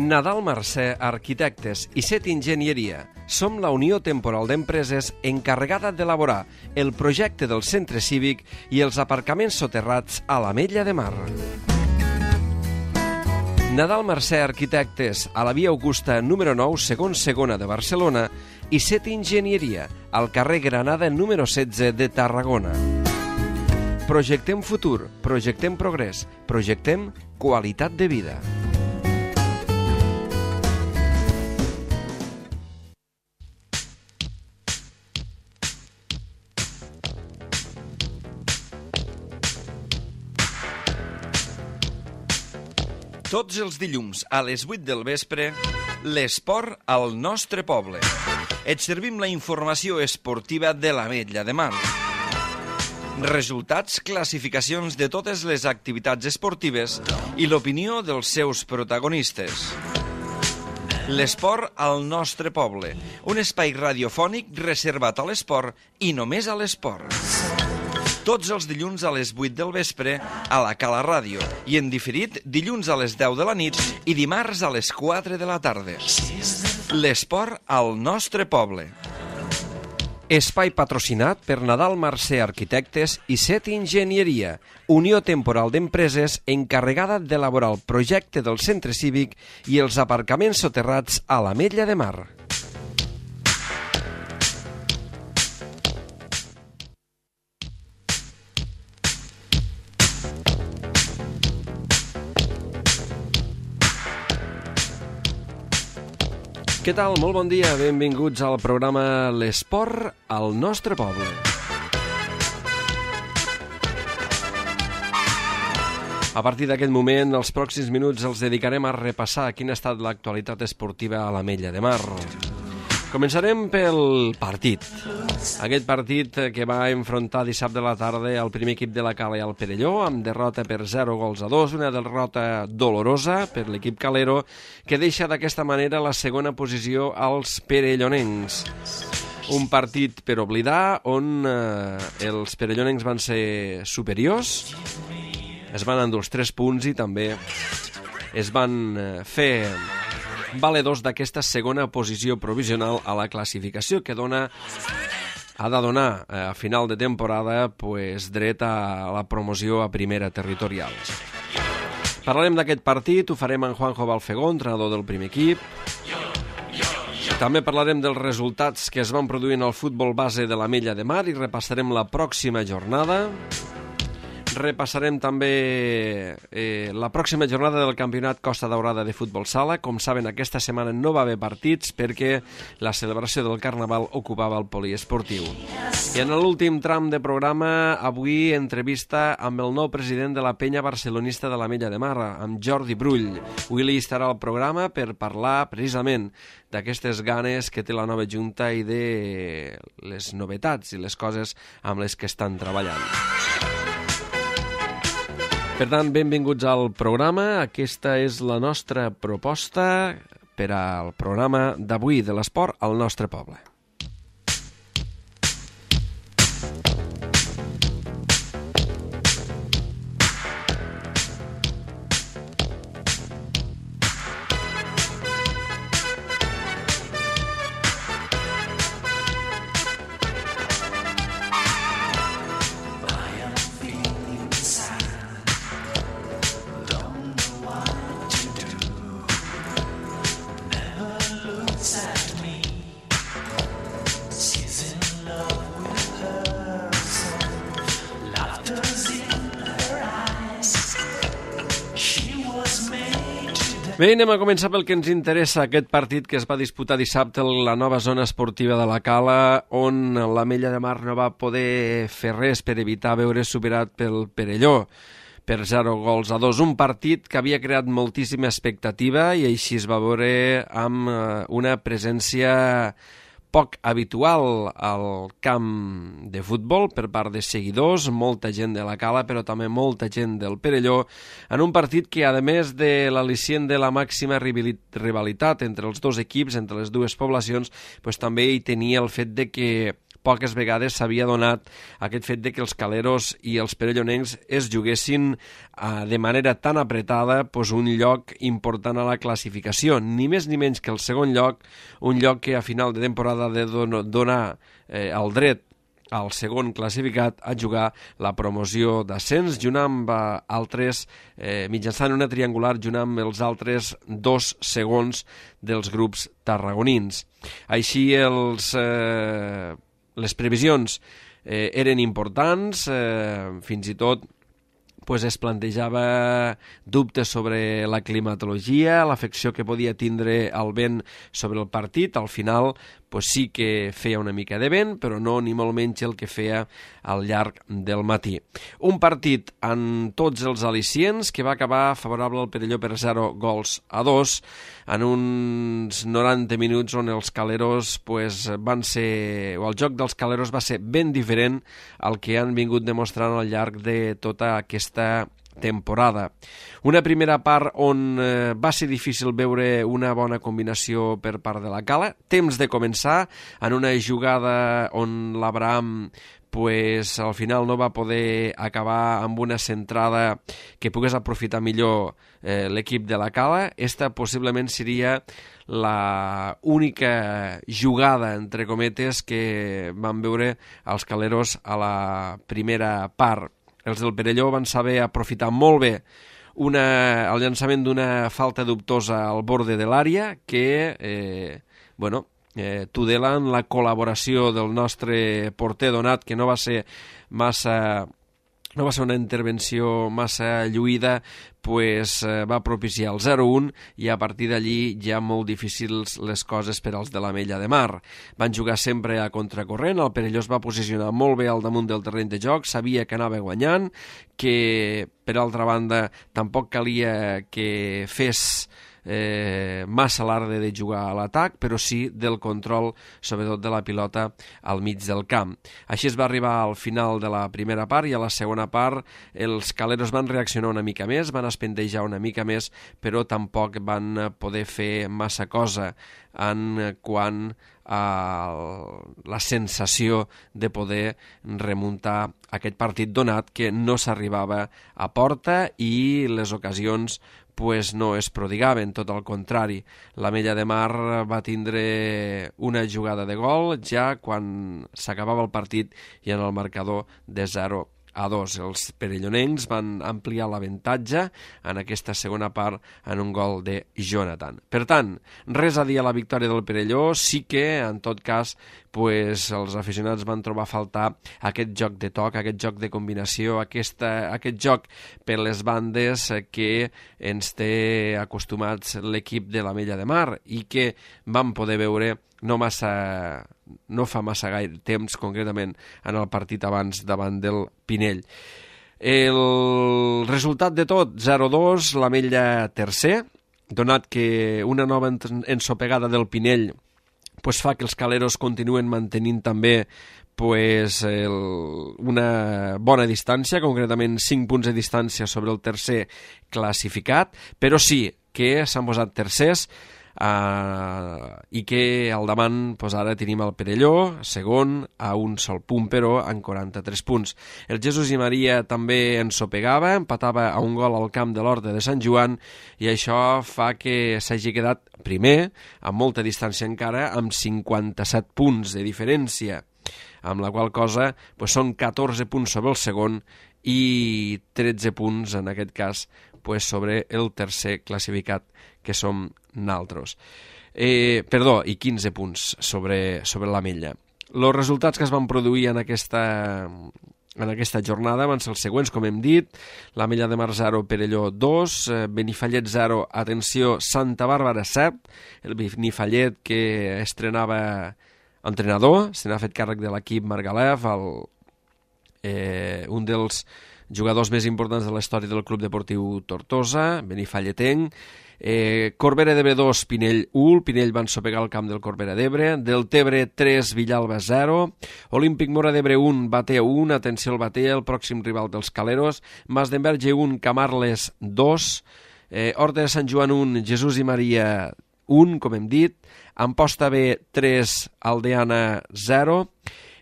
Nadal Mercè Arquitectes i Set Enginyeria. Som la Unió Temporal d'Empreses encarregada d'elaborar el projecte del centre cívic i els aparcaments soterrats a l'Ametlla de Mar. Nadal Mercè Arquitectes, a la via Augusta número 9, segon segona de Barcelona, i Set Enginyeria, al carrer Granada número 16 de Tarragona. Projectem futur, projectem progrés, projectem qualitat de vida. Tots els dilluns a les 8 del vespre, l'esport al nostre poble. Et servim la informació esportiva de l'Ametlla de Mar. Resultats, classificacions de totes les activitats esportives i l'opinió dels seus protagonistes. L'esport al nostre poble, un espai radiofònic reservat a l'esport i només a l'esport. Tots els dilluns a les 8 del vespre a la Cala Ràdio i en diferit dilluns a les 10 de la nit i dimarts a les 4 de la tarda. L'esport al nostre poble. Espai patrocinat per Nadal Mercè Arquitectes i Set Enginyeria, Unió Temporal d'Empreses encarregada d'elaborar el projecte del centre cívic i els aparcaments soterrats a l'Ametlla de Mar. Què tal? Molt bon dia, benvinguts al programa L'Esport al nostre poble. A partir d'aquest moment, els pròxims minuts els dedicarem a repassar quina ha estat l'actualitat esportiva a l'Ametlla de Mar. Començarem pel partit. Aquest partit que va enfrontar dissabte a la tarda el primer equip de la Cala i el Perelló, amb derrota per 0-2, una derrota dolorosa per l'equip calero, que deixa d'aquesta manera la segona posició als perellonencs. Un partit per oblidar, on els perellonencs van ser superiors, es van endur els 3 punts i també es van fer valedors d'aquesta segona posició provisional a la classificació que ha de donar a final de temporada dret a la promoció a primera territorial. Parlarem d'aquest partit, ho farem amb Juanjo Balfegó, entrenador del primer equip. També parlarem dels resultats que es van produir en el futbol base de l'Ametlla de Mar i repassarem la pròxima jornada. Repassarem també la pròxima jornada del campionat Costa Daurada de futbol sala. Com saben, aquesta setmana no va haver partits perquè la celebració del Carnaval ocupava el poliesportiu. I en l'últim tram de programa, avui entrevista amb el nou president de la penya barcelonista de l'Ametlla de Mar, amb Jordi Brull. Willy estarà al programa per parlar precisament d'aquestes ganes que té la nova junta i de les novetats i les coses amb les que estan treballant. Per tant, benvinguts al programa. Aquesta és la nostra proposta per al programa d'avui de l'esport al nostre poble. Bé, anem a començar pel que ens interessa, aquest partit que es va disputar dissabte a la nova zona esportiva de la Cala, on l'Ametlla de Mar no va poder fer res per evitar veure superat pel Perelló per 0-2. Un partit que havia creat moltíssima expectativa i així es va veure amb una presència poc habitual al camp de futbol per part de seguidors, molta gent de la Cala, però també molta gent del Perelló, en un partit que, a més de l'al·licient de la màxima rivalitat entre els dos equips, entre les dues poblacions, també hi tenia el fet de que poques vegades s'havia donat aquest fet de que els caleros i els perellonencs es juguessin de manera tan apretada un lloc important a la classificació, ni més ni menys que el segon lloc, un lloc que a final de temporada ha de donar el dret al segon classificat a jugar la promoció d'ascens junt amb altres, mitjançant una triangular junt amb els altres dos segons dels grups tarragonins. Així les previsions eren importants, fins i tot es plantejava dubtes sobre la climatologia, l'afecció que podia tindre el vent sobre el partit. Al final sí que feia una mica de vent, però no ni molt menys el que feia al llarg del matí. Un partit amb tots els al·licients que va acabar favorable al Perelló per 0-2 en uns 90 minuts on els caleros van ser, o el joc dels caleros va ser ben diferent al que han vingut demostrant al llarg de tota aquesta temporada. Una primera part on va ser difícil veure una bona combinació per part de la Cala, temps de començar en una jugada on l'Abraham al final no va poder acabar amb una centrada que pogués aprofitar millor l'equip de la Cala. Esta possiblement seria la única jugada, entre cometes, que van veure els caleros a la primera part. Els del Perelló van saber aprofitar molt bé el llançament d'una falta dubtosa al borde de l'àrea que, tudelen la col·laboració del nostre porter Donat, que no va ser una intervenció massa lluïda, va propiciar el 0-1 i a partir d'allí ja molt difícils les coses per als de l'Ametlla de Mar. Van jugar sempre a contracorrent, el Perelló es va posicionar molt bé al damunt del terreny de joc, sabia que anava guanyant, que per altra banda tampoc calia que fes massa alarde de jugar a l'atac, però sí del control, sobretot de la pilota al mig del camp. Així es va arribar al final de la primera part i a la segona part els caleros van reaccionar una mica més, van espentejar una mica més, però tampoc van poder fer massa cosa en quant a la sensació de poder remuntar aquest partit donat que no s'arribava a porta i les ocasions no es prodigaven, tot al contrari. L'Ametlla de Mar va tindre una jugada de gol ja quan s'acabava el partit i en el marcador de 0-2. Els perellonencs van ampliar l'avantatge en aquesta segona part en un gol de Jonathan. Per tant, res a dir a la victòria del Perelló, sí que, en tot cas, els aficionats van trobar a faltar aquest joc de toc, aquest joc de combinació, aquest joc per les bandes que ens té acostumats l'equip de l'Ametlla de Mar i que vam poder veure no fa massa gaire temps, concretament en el partit abans davant del Pinell. El resultat de tot, 0-2, l'Ametlla tercer, donat que una nova ensopegada del Pinell fa que els caleros continuen mantenint també una bona distància, concretament 5 punts de distància sobre el tercer classificat, però sí que s'han posat tercers i que al davant ara tenim el Perelló, segon, a un sol punt, però amb 43 punts. El Jesús i Maria també ensopegava, empatava a un gol al camp de l'Horta de Sant Joan i això fa que s'hagi quedat primer, amb molta distància encara, amb 57 punts de diferència, amb la qual cosa són 14 punts sobre el segon i 13 punts, en aquest cas, sobre el tercer classificat, que som naltros. I 15 punts sobre l'Ametlla. Els resultats que es van produir en aquesta jornada van ser els següents, com hem dit: l'Ametlla de Mar 0, Perelló 2, Benifallet 0, atenció, Santa Bàrbara 7, el Benifallet que estrenava entrenador, se n'ha fet càrrec de l'equip Margalef, un dels jugadors més importants de la història del Club Deportiu Tortosa, benifalletenc. Corbera d'Ebre 2, Pinell 1, Pinell va ensopegar el camp del Corbera d'Ebre. Del Tebre 3, Villalba 0, Olímpic Mora d'Ebre 1, Batea 1, atenció al Batea, el pròxim rival dels caleros. Masdenverge 1, Camarles 2, Horta de Sant Joan 1, Jesús i Maria 1, com hem dit. Amposta B 3, Aldeana 0,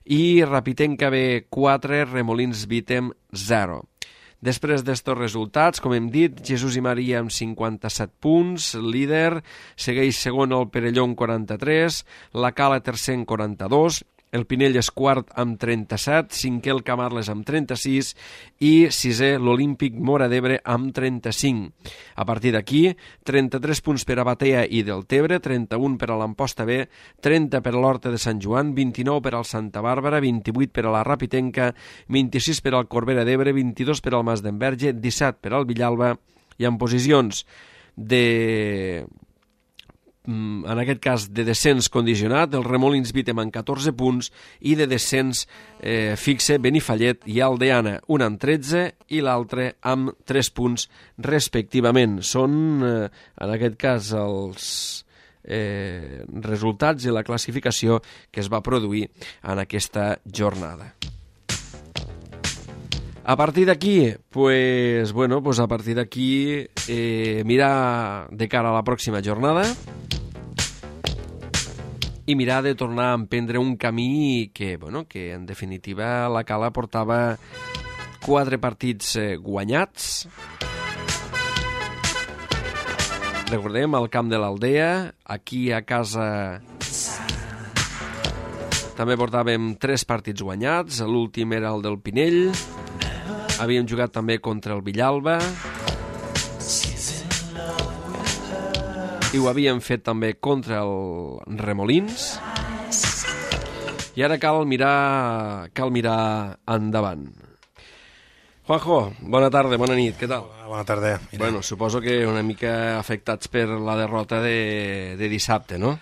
i Rapitenca B 4, Remolins Vítem 0. Després d'estos resultats, com hem dit, Jesús i Maria amb 57 punts, líder, segueix segon el Perelló amb 43, la Cala tercer amb 42, el Pinell és quart amb 37, cinquè el Camarles amb 36 i sisè l'Olímpic Móra d'Ebre amb 35. A partir d'aquí, 33 punts per a Batea i Deltebre, 31 per a l'Amposta B, 30 per a l'Horta de Sant Joan, 29 per al Santa Bàrbara, 28 per a la Rapitenca, 26 per al Corbera d'Ebre, 22 per al Mas d'Enverge, 17 per al Villalba i en posicions en aquest cas de descens condicionat, el Remolins Vítem amb 14 punts i de descens fixe Benifallet i Aldeana, un amb 13 i l'altre amb 3 punts respectivament. Són en aquest cas els resultats i la classificació que es va produir en aquesta jornada. A partir d'aquí, a partir d'aquí mirar de cara a la pròxima jornada i mirar de tornar a emprendre un camí que en definitiva la Cala portava 4 partits guanyats. Recordem, al camp de l'Aldea, aquí a casa també portàvem 3 partits guanyats, l'últim era el del Pinell. Havíem jugat també contra el Villalba i ho havíem fet també contra el Remolins. I ara cal mirar endavant. Juanjo, bona tarda, bona nit, què tal? Bona tarda. Bueno, suposo que una mica afectats per la derrota de dissabte, no?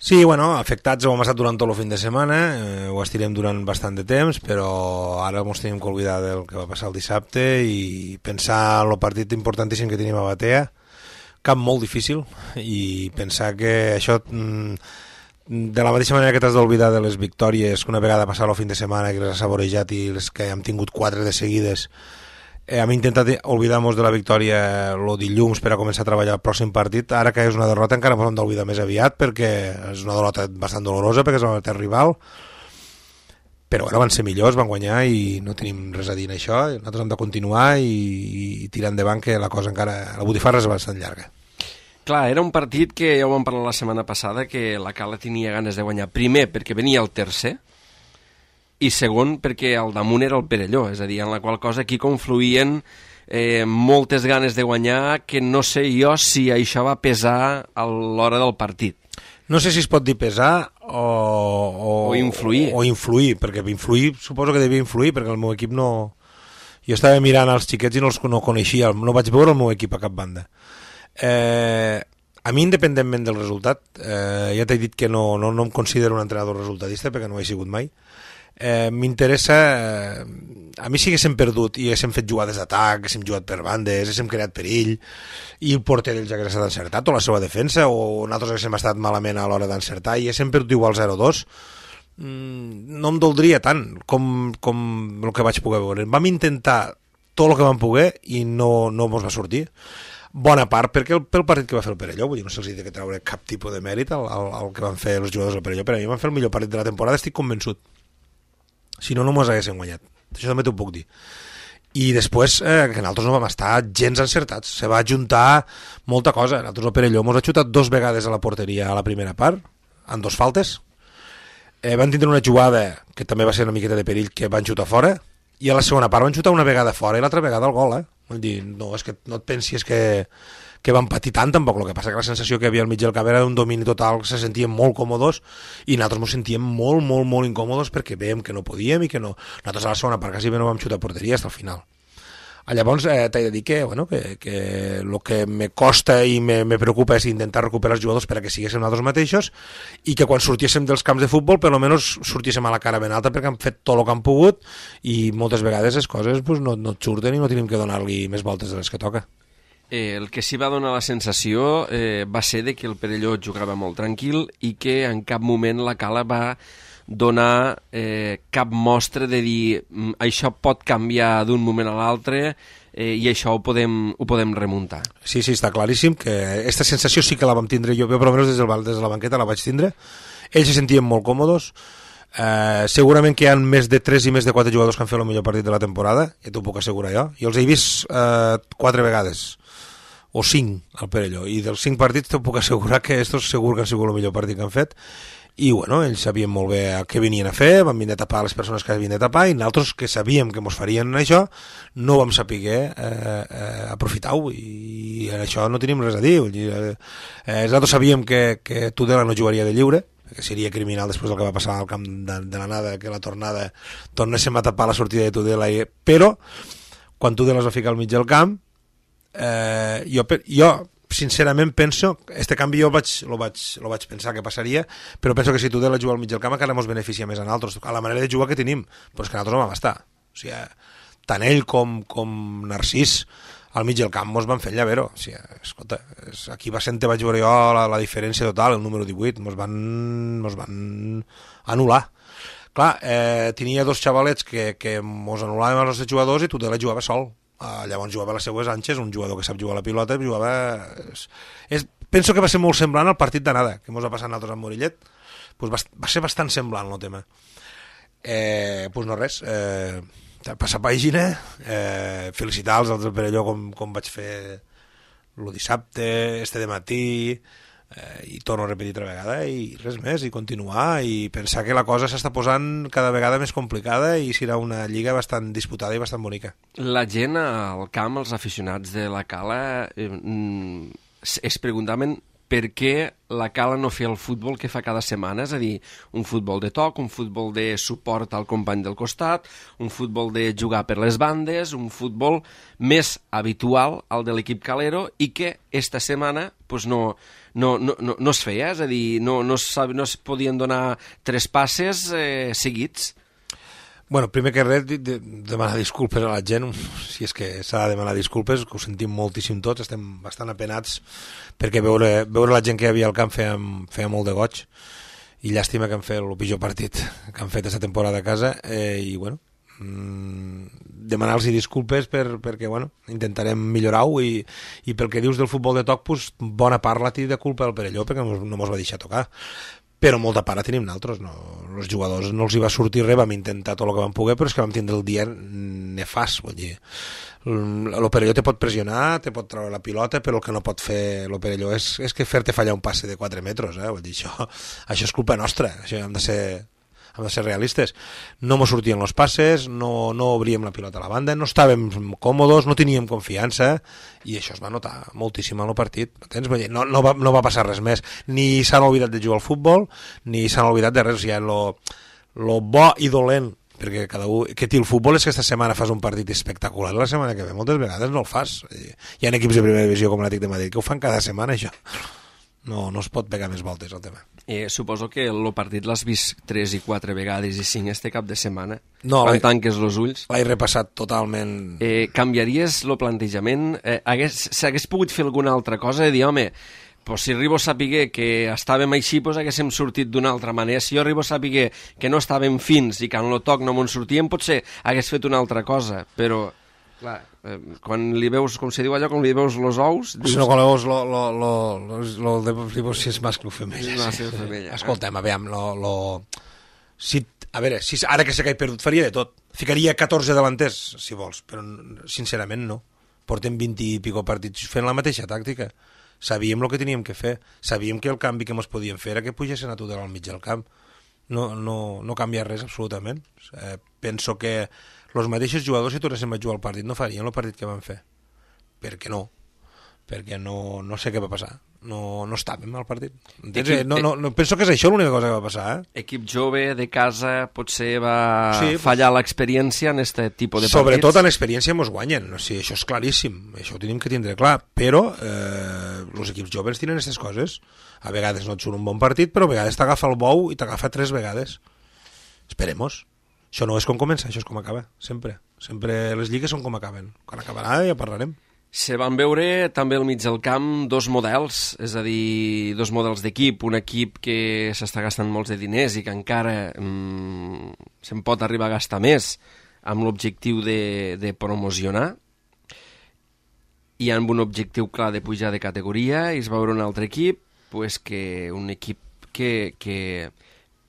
Sí, afectats hem estat durant tot el fin de setmana, ho estirem durant bastant de temps, però ara ens tenim que oblidar del que va passar el dissabte i pensar en el partit importantíssim que tenim a Batea, camp molt difícil, i pensar que això, de la mateixa manera que t'has d'oblidar de les victòries que una vegada passat el fin de setmana, que les has saborejat i les que hem tingut 4 de seguides, hem intentat oblidar-nos de la victòria el dilluns per a començar a treballar el pròxim partit. Ara que és una derrota encara ens hem d'oblidar més aviat, perquè és una derrota bastant dolorosa, perquè és el teu rival, però van ser millors, van guanyar i no tenim res a dir en això. Nosaltres hem de continuar i tirar endavant, que la cosa encara, la botifarra és bastant llarga. Clar, era un partit que ja ho vam parlar la setmana passada, que la Cala tenia ganes de guanyar, primer perquè venia el tercer, i segon perquè al damunt era el Perelló, és a dir, en la qual cosa aquí confluïen moltes ganes de guanyar, que no sé jo si això va pesar a l'hora del partit. No sé si es pot dir pesar o influir. O influir, perquè influir suposo que devia influir, perquè el meu equip no... Jo estava mirant els xiquets i no coneixia, no vaig veure el meu equip a cap banda. A mi, independentment del resultat, ja t'he dit que no em considero un entrenador resultatista, perquè no ho he sigut mai. M'interessa, a mi si haguéssim perdut i haguéssim fet jugades d'atac, haguéssim jugat per bandes, haguéssim creat perill i el porter d'ells hagués estat encertat, o la seva defensa, o nosaltres haguéssim estat malament a l'hora d'encertar i haguéssim perdut igual 0-2, no em doldria tant com el que vaig poder veure. Vam intentar tot el que vam poder i no ens va sortir. Bona part pel partit que va fer el Perelló, vull dir, no se'ls ha de treure cap tipus de mèrit al que van fer els jugadors del Perelló, però a mi van fer el millor partit de la temporada, estic convençut. Si no mos haguessin guanyat. Això també t'ho puc dir. I després, que nosaltres no vam estar gens encertats. Se va ajuntar molta cosa. Nosaltres al Perelló mos ha xutat 2 vegades a la porteria a la primera part, amb 2 faltes. Van tindre una jugada, que també va ser una miqueta de perill, que van xutar fora, i a la segona part van xutar una vegada fora i l'altra vegada al gol, Vull dir, no, és que no et pensis que van patir tant, tampoc. El que passa que la sensació que havia al mig del camp era d'un domini total, se sentien molt còmodes i nosaltres ens sentíem molt, molt, molt incòmodes perquè veiem que no podíem i que no... Nosaltres a la segona part quasi bé no vam xutar porteria fins al final. Llavors t'he de dir que el que me costa i me preocupa és intentar recuperar els jugadors perquè siguéssim nosaltres mateixos i que quan sortíssim dels camps de futbol per almenys sortíssim a la cara ben alta perquè han fet tot el que han pogut i moltes vegades les coses no et surten i no tenim que donar-li més voltes de les que toca. El que sí va donar la sensació va ser de que el Perelló jugava molt tranquil i que en cap moment la Cala va donar cap mostra de dir això pot canviar d'un moment a l'altre i això ho podem remuntar. Sí, està claríssim que aquesta sensació sí que la vam tindre jo, però almenys des de la banqueta la vaig tindre. Ells se sentien molt còmodes, Segurament que hi ha més de 3 i més de 4 jugadors que han fet el millor partit de la temporada, ja t'ho puc assegurar jo, i els he vist 4 vegades o 5 al Perelló, i dels 5 partits t'ho puc assegurar que estos segur que han sigut el millor partit que han fet, i bueno, ells sabien molt bé què venien a fer, van venir a tapar les persones que havien de tapar, i nosaltres que sabíem que mos farien això no vam saber aprofitar-ho, i en això no tenim res a dir. Nosaltres sabíem que Tudela no jugaria de lliure, que seria criminal després del que va passar al camp de l'anada, que la tornada tornéssim a tapar la sortida de Tudela, però quan Tudela es va ficar al mig del camp, jo sincerament penso, este canvi jo lo vaig pensar que passaria, però penso que si Tudela juga al mig del camp encara ens beneficia més a nosaltres, a la manera de jugar que tenim, però és que nosaltres no vam estar, o sigui, tant ell com Narcís al mig del camp mos van fer llavero, o sigui, escolta, aquí va ser on vaig veure jo la diferència total, el número 18, mos van anul·lar. Clar, tenia 2 xavalets que mos anul·laven els nostres jugadors i Tudela jugava sol. Llavors jugava a les seues anxes, un jugador que sap jugar a la pilota, penso que va ser molt semblant al partit d'anada que ens va passar a nosaltres amb Morillet, pues va ser bastant semblant el tema. Pues no res, passar pàgina, felicitar els altres per allò com vaig fer el dissabte, de matí, i torno a repetir altra vegada, i res més, i continuar, i pensar que la cosa s'està posant cada vegada més complicada i serà una lliga bastant disputada i bastant bonica. La gent al camp, els aficionats de la Cala, es preguntaven per què la Cala no fa el futbol que fa cada setmana, és a dir, un futbol de toc, un futbol de suport al company del costat, un futbol de jugar per les bandes, un futbol més habitual al de l'equip calero, i que esta setmana pues, no es feia, és a dir, no es podien donar 3 passes seguits. Bueno, primer que res, demanar disculpes a la gent, si és que s'ha de demanar disculpes, que ho sentim moltíssim tots, estem bastant apenats, perquè veure la gent que hi havia al camp feia molt de goig, i llàstima que han fet el pitjor partit que han fet aquesta temporada a casa, i bueno, demanar-los disculpes perquè bueno, intentarem millorar-ho, i pel que dius del futbol de toc, pues, bona part la té de culpa del Perelló, perquè no mos va deixar tocar, però molta part la tenim nosaltres, no? Els jugadors no els hi va sortir res, vam intentar tot el que vam poder, però és que vam tindre el dia nefast, vull dir, el Perelló te pot pressionar, te pot treure la pilota, però el que no pot fer el Perelló és que fer-te fallar un passe de 4 metres, vull dir, això és culpa nostra, això hem de ser realistes. No mos sortien els passes, no obríem la pilota a la banda, no estàvem còmodes, no teníem confiança, i això es va notar moltíssim en el partit. No va passar res més. Ni s'han oblidat de jugar al futbol, ni s'han oblidat de res. O sigui, lo bo i dolent perquè cada un que té el futbol és que aquesta setmana fas un partit espectacular, la setmana que ve moltes vegades no el fas. Hi ha equips de primera divisió com l'Atlètic de Madrid que ho fan cada setmana, això. No es pot pegar més voltes al tema. Suposo que el partit l'has vist 3 i 4 vegades i 5 este cap de setmana, no, quan tanques els ulls. L'he repassat totalment. Canviaries el plantejament? S'hagués pogut fer alguna altra cosa? De dir, home, pues si arribo a saber que estàvem així, pues haguéssim sortit d'una altra manera. Si jo arribo a saber que no estàvem fins i que en el toc no m'on sortíem, potser hagués fet una altra cosa, però... Clar, quan li veus, com se diu allò, quan li veus els ous... Dius... Si no, quan li veus si és mascle o femella. Escolta'm, aviam, a veure, ara que sé que he perdut, faria de tot. Ficaria 14 delanters, si vols, però sincerament no. Portem 20 i pico partits fent la mateixa tàctica. Sabíem el que teníem que fer. Sabíem que el canvi que ens podíem fer era que pugessin a Tudela al mig del camp. No canvia res, absolutament. Penso que els mateixos jugadors, si tornéssim a jugar al partit, no farien el partit que van fer. Per què no? Perquè no sé què va passar. No estàvem al partit. Penso que és això l'única cosa que va passar. Equip jove, de casa, potser va fallar l'experiència en aquest tipus de partits? Sobretot en l'experiència ens guanyen. O sigui, això és claríssim. Això ho tenim que tindre clar. Però els equips joves tenen aquestes coses. A vegades no et surt un bon partit, però a vegades t'agafa el bou i t'agafa 3 vegades. Esperemos. Això no és com comença, això és com acaba, sempre. Sempre les lligues són com acaben. Quan acabarà ja parlarem. Se van veure també al mig del camp 2 models, és a dir, 2 models d'equip. Un equip que s'està gastant molts de diners i que encara se'n pot arribar a gastar més amb l'objectiu de promocionar i amb un objectiu clar de pujar de categoria, i es va veure un altre equip, un equip que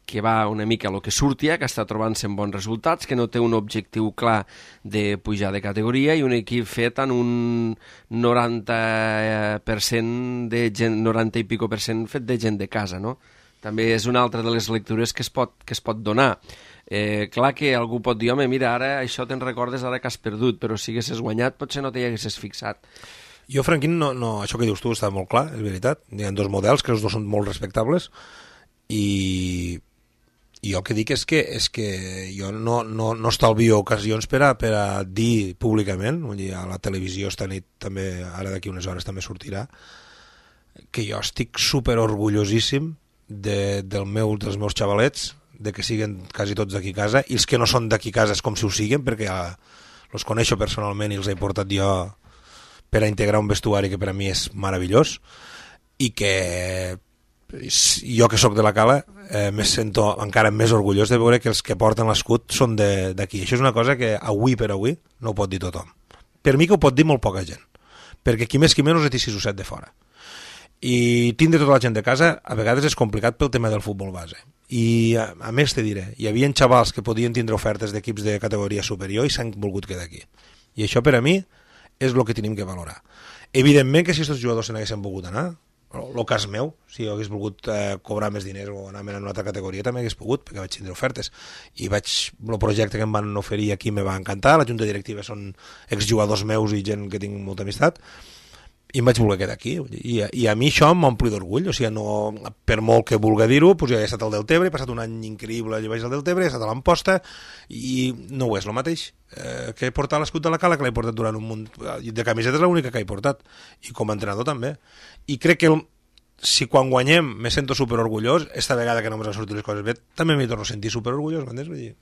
que va una mica a lo que surtia, que està trobant-se en bons resultats, que no té un objectiu clar de pujar de categoria i un equip fet en un 90% de gent, 90 i pico % fet de gent de casa, no? També és una altra de les lectures que es pot donar. Clar que algú pot dir, home, mira, ara això te'n recordes ara que has perdut, però si haguessis guanyat potser no t'hi haguessis fixat. Jo, Franquín, no, això que dius tu està molt clar, és veritat. Hi ha dos models, que els dos són molt respectables, i jo el que dic és que jo no estalvio ocasions per a dir públicament, vull dir, a la televisió esta nit també, ara d'aquí unes hores també sortirà, que jo estic super orgullosíssim dels meus xavalets, de que siguen quasi tots d'aquí a casa, i els que no són d'aquí a casa és com si ho siguen, perquè els coneixo personalment i els he portat jo per a integrar un vestuari que per a mi és meravellós, i que jo que sóc de la Cala me sento encara més orgullós de veure que els que porten l'escut són d'aquí. Això és una cosa que avui per avui no ho pot dir tothom. Per mi que ho pot dir molt poca gent, perquè qui més qui menys té 6 o 7 de fora. I tindre tota la gent de casa a vegades és complicat pel tema del futbol base. I a més te diré, hi havia xavals que podien tindre ofertes d'equips de categoria superior i s'han volgut quedar aquí. I això per a mi és el que tenim que valorar. Evidentment que si aquests jugadors se n'haguessin volgut anar, el cas meu, si jo hagués volgut cobrar més diners o anar en una altra categoria, també hagués pogut, perquè vaig tindre ofertes. I el projecte que em van oferir aquí me va encantar, la junta directiva són exjugadors meus i gent que tinc molta amistat, i em vaig voler quedar aquí. I a mi això m'ompli d'orgull, o sigui, no, per molt que vulgui dir-ho, doncs jo he estat al Deltebre, he passat un any increïble allà baix al Deltebre, he estat a l'Amposta, i no ho és el mateix que he portat l'escut de la Cala, que l'he portat durant un munt de camisetes, l'única que he portat, i com a entrenador també. I crec que si quan guanyem me sento superorgullós, esta vegada que no m'han sortit les coses bé, també m'hi torno a sentir superorgullós, m'entens? Vull dir,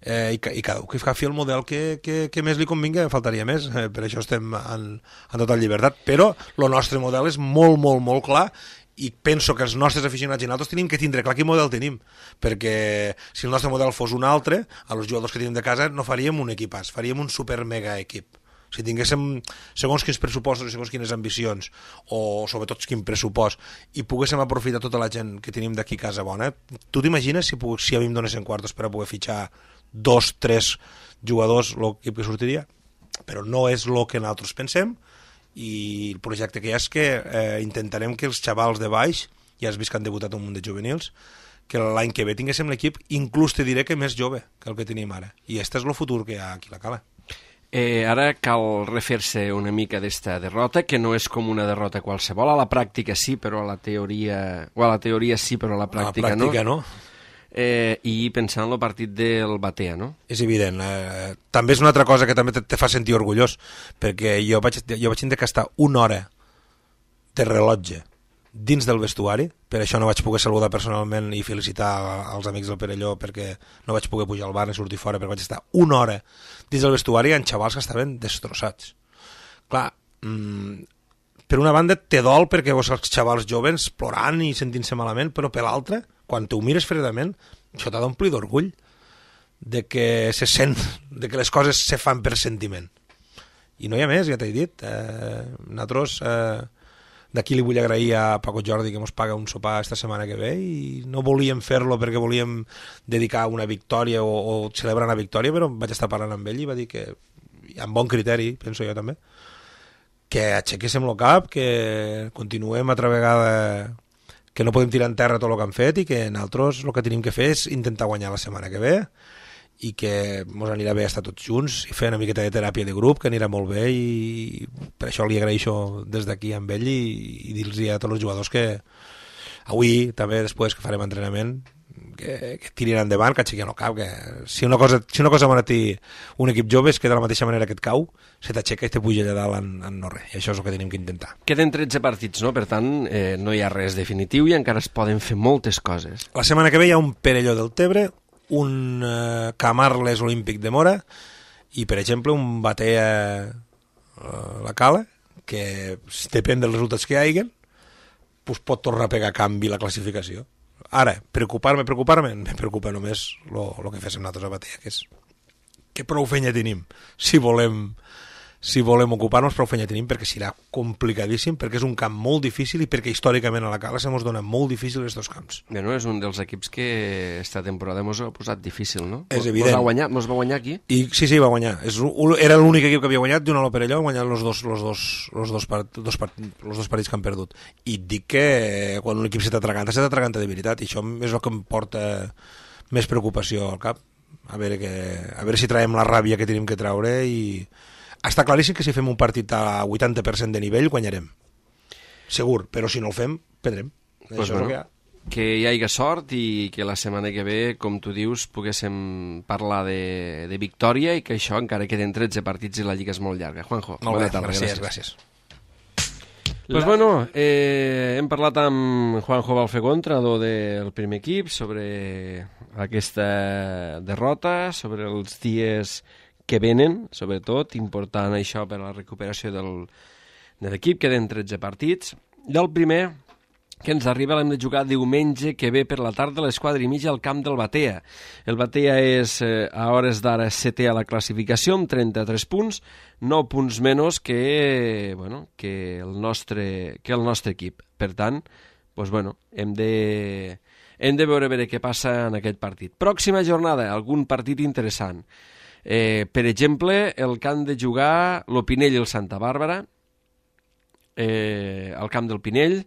i cada un que agafi el model que més li convingui, faltaria més, per això estem en total llibertat, però el nostre model és molt, molt, molt clar, i penso que els nostres aficionats i nosaltres tenim que tindre clar quin model tenim, perquè si el nostre model fos un altre, a els jugadors que tenim de casa no faríem un equipàs, faríem un super mega equip. Si tinguéssim segons quins pressupostos i segons quines ambicions, o sobretot quin pressupost, i poguéssim aprofitar tota la gent que tenim d'aquí a casa bona, tu t'imagines si a mi em donessin quartos per a poder fitxar 2, 3 jugadors l'equip que sortiria? Però no és el que nosaltres pensem, i el projecte que hi ha és que intentarem que els xavals de baix, ja has vist que han debutat un munt de juvenils, que l'any que ve tinguéssim l'equip, inclús te diré que més jove que el que tenim ara, i este és el futur que hi ha aquí a la Cala. Ara cal refer-se una mica d'esta derrota, que no és com una derrota qualsevol, a la pràctica sí, però a la teoria sí, però a la pràctica no. I pensant en el partit del Batea, no? És evident. També és una altra cosa que també te fa sentir orgullós, perquè jo vaig tenir que estar una hora de rellotge dins del vestuari, per això no vaig poder saludar personalment i felicitar als amics del Perelló, perquè no vaig poder pujar al bar ni sortir fora, perquè vaig estar una hora dins del vestuari amb xavals que estaven destrossats. Clar, per una banda te dol perquè veus els xavals joves plorant i sentint-se malament, però per l'altra, quan t'ho mires fredament, això t'ha d'omplir d'orgull de que se sent, de que les coses se fan per sentiment. I no hi ha més, ja t'he dit. Nosaltres d'aquí li vull agrair a Paco Jordi que ens paga un sopar esta setmana que ve, i no volíem fer-lo perquè volíem dedicar una victòria o celebrar una victòria, però vaig estar parlant amb ell i va dir que, amb bon criteri, penso jo també, que aixequéssim el cap, que continuem altra vegada, que no podem tirar en terra tot el que han fet, i que nosaltres el que tenim que fer és intentar guanyar la setmana que ve, i que ens anirà bé estar tots junts i fer una miqueta de teràpia de grup, que anirà molt bé, i per això li agraeixo des d'aquí amb ell, i dir-los a tots els jugadors que avui, també després que farem entrenament, que tirin endavant, que aixequin el cap, que si una cosa bona té un equip jove és que de la mateixa manera que et cau, se t'aixeca i te puja allà dalt en no res, i això és el que tenim que intentar. Queden 13 partits, no? Per tant, no hi ha res definitiu i encara es poden fer moltes coses. La setmana que ve hi ha un Perelló del Tebre, un Camarles Olímpic de Mora i, per exemple, un Batea la Cala, que depèn dels resultats que hi hagin, pues pot tornar a pegar canvi la classificació. Ara, preocupar-me, me preocupa només el que féssim nosaltres a Batea, que és que prou feina tenim si volem si volem ocupar-nos, prou feina tenim, perquè serà complicadíssim, perquè és un camp molt difícil i perquè històricament a la Cala se mos dona molt difícil els dos camps. Bueno, és un dels equips que esta temporada mos ha posat difícil, no? És evident. Mos va guanyar aquí? Sí, va guanyar. Era l'únic equip que havia guanyat, d'un a Perelló, ha guanyat els dos partits que han perdut. I dic que quan un equip s'atraganta de veritat, i això és el que em porta més preocupació al cap. A veure si traiem la ràbia que tenim que traure i... Està claríssim que si fem un partit a 80% de nivell guanyarem. Segur, però si no el fem, perdrem. Pues això bueno, és el que hi ha. Que hi hagi sort i que la setmana que ve, com tu dius, poguéssim parlar de victòria i que això encara queden 13 partits i la Lliga és molt llarga. Juanjo, bona tarda. Gràcies. Pues bueno, hem parlat amb Juanjo Balfegó, entrenador del primer equip, sobre aquesta derrota, sobre els dies que venen, sobretot, important això per a la recuperació de l'equip, queden 13 partits. Del primer, que ens arriba, l'hem de jugar diumenge que ve per la tarda a les 4:30 al camp del Batea. El Batea és, a hores d'ara, setè a la classificació, amb 33 punts, 9 punts menys que el nostre equip. Per tant, hem de veure què passa en aquest partit. Pròxima jornada, algun partit interessant. Per exemple, el que han de jugar l'Opinell i el Santa Bàrbara, al camp del Pinell,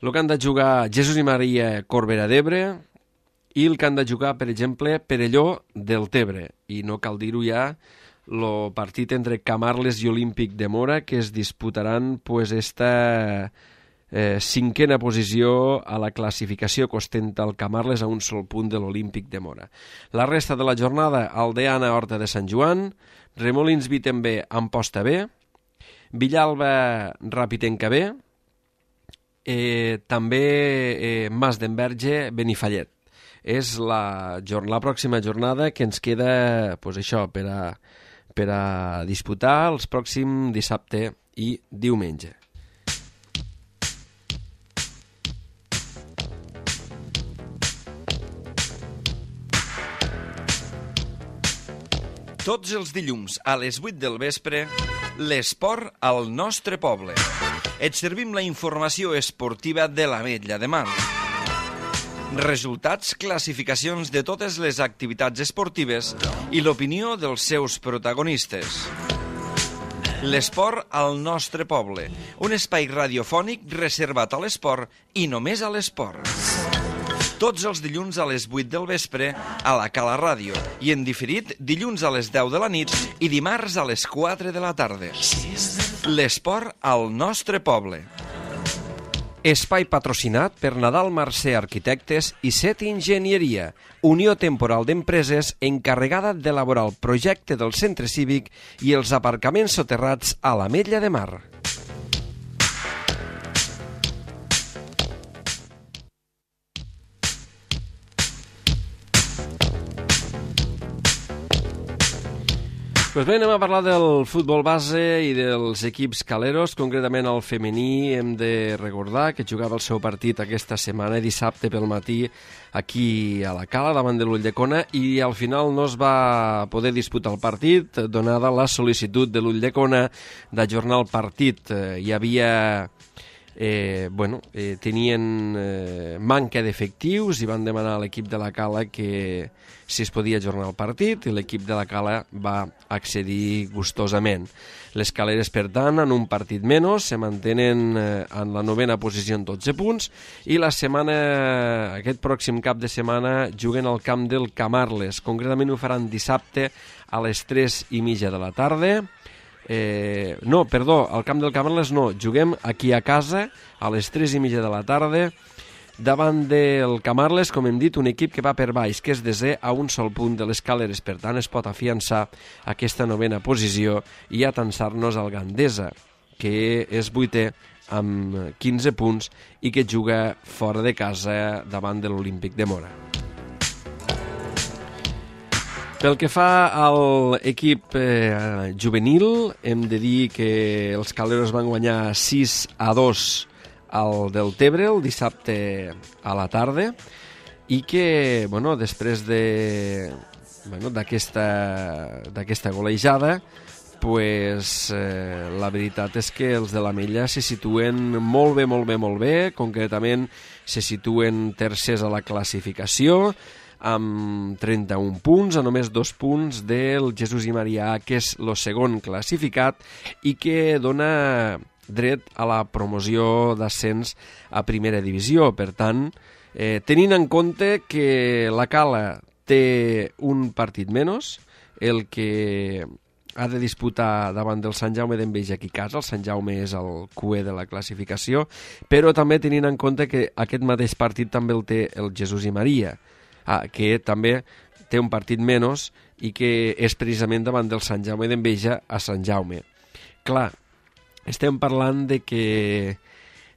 el que han de jugar Jesús i Maria Corbera d'Ebre i el que han de jugar, per exemple, Perelló del Tebre. I no cal dir-ho ja, el partit entre Camarles i Olímpic de Mora, que es disputaran esta cinquena posició a la classificació que ostenta el Camarles a un sol punt de l'Olímpic de Mora. La resta de la jornada, Aldeana, Horta de Sant Joan, Remolins Vitem B, Amposta B, Villalba, Rapitenca B, també Mas d'Enverge, Benifallet. És la pròxima jornada que ens queda per a disputar els pròxims dissabte i diumenge. Tots els dilluns a les 8 del vespre, l'esport al nostre poble. Et servim la informació esportiva de l'Ametlla de Mar. Resultats, classificacions de totes les activitats esportives i l'opinió dels seus protagonistes. L'esport al nostre poble, un espai radiofònic reservat a l'esport i només a l'esport. Tots els dilluns a les 8 del vespre a la Cala Ràdio i en diferit dilluns a les 10 de la nit i dimarts a les 4 de la tarda. L'esport al nostre poble. Espai patrocinat per Nadal Mercè Arquitectes i Set Enginyeria, unió temporal d'empreses encarregada d'elaborar el projecte del centre cívic i els aparcaments soterrats a l'Ametlla de Mar. Pues bé, anem a parlar del futbol base i dels equips caleros, concretament el femení. Hem de recordar que jugava el seu partit aquesta setmana, dissabte pel matí, aquí a la Cala, davant de l'Ulldecona, i al final no es va poder disputar el partit, donada la sol·licitud de l'Ulldecona d'ajornar el partit. Hi havia... tenien manca d'efectius i van demanar a l'equip de la Cala que si es podia ajornar el partit, i l'equip de la Cala va accedir gustosament. Les caleres, per tant, en un partit menys, se mantenen en la 9a posició en 12 punts i aquest pròxim cap de setmana juguen al camp del Camarles. Concretament ho faran dissabte a les 3:30 de la tarda. Al camp del Camarles no, juguem aquí a casa a les 3:30 de la tarda davant del Camarles, com hem dit, un equip que va per baix, que és desè a un sol punt de les caleres, per tant es pot afiançar aquesta 9a posició i atansar-nos al Gandesa, que és 8è amb 15 punts i que juga fora de casa davant de l'Olímpic de Mora. Pel que fa a l'equip juvenil, hem de dir que els caleros van guanyar 6-2 al Deltebre el dissabte a la tarda i que, després d'aquesta golejada, pues, la veritat és que els de l'Ametlla se situen molt bé, concretament se situen tercers a la classificació, amb 31 punts, a només 2 punts del Jesús i Maria, que és el segon classificat i que dona dret a la promoció d'ascens a primera divisió. Per tant, tenint en compte que la Cala té un partit menys, el que ha de disputar davant del Sant Jaume d'Enveja aquí a casa. El Sant Jaume és el QE de la classificació, però també tenint en compte que aquest mateix partit també el té el Jesús i Maria, que també té un partit menys i que és precisament davant del Sant Jaume d'Enveja a Sant Jaume. Clar, estem parlant de que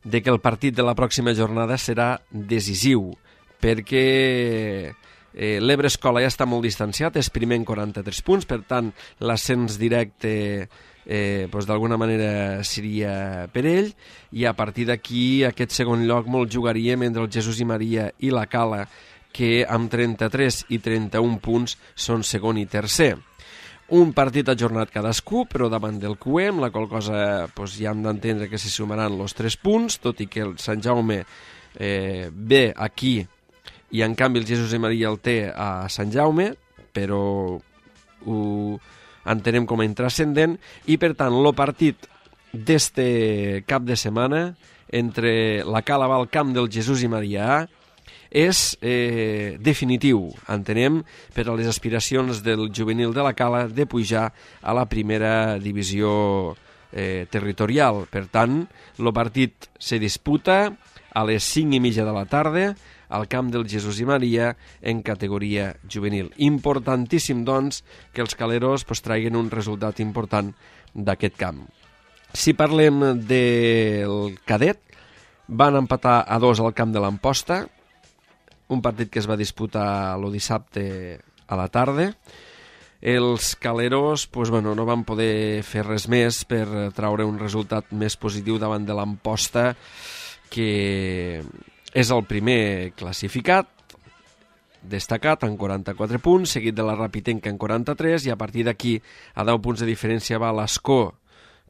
el partit de la pròxima jornada serà decisiu, perquè l'Ebre Escola ja està molt distanciat, és primer en 43 punts, per tant l'ascens directe d'alguna manera seria per ell, i a partir d'aquí aquest segon lloc molt jugaríem entre el Jesús i Maria i la Cala, que amb 33 i 31 punts són segon i tercer. Un partit ajornat cadascú, però davant del QE, amb la qual cosa ja hem d'entendre que se sumaran els 3 punts, tot i que el Sant Jaume ve aquí i en canvi el Jesús i Maria el té a Sant Jaume, però ho entenem com a intrascendent, i per tant el partit d'este cap de setmana entre la Cala va al camp del Jesús i Maria és definitiu, entenem, per a les aspiracions del juvenil de la Cala de pujar a la primera divisió territorial. Per tant, el partit se disputa a les 5:30 de la tarda al camp del Jesús i Maria en categoria juvenil. Importantíssim, doncs, que els caleros traguin un resultat important d'aquest camp. Si parlem del cadet, van empatar a 2 al camp de l'Amposta, un partit que es va disputar el dissabte a la tarda. Els caleros no van poder fer res més per traure un resultat més positiu davant de l'Amposta, que és el primer classificat, destacat en 44 punts, seguit de la Rapitenca en 43, i a partir d'aquí a 10 punts de diferència va l'Escó,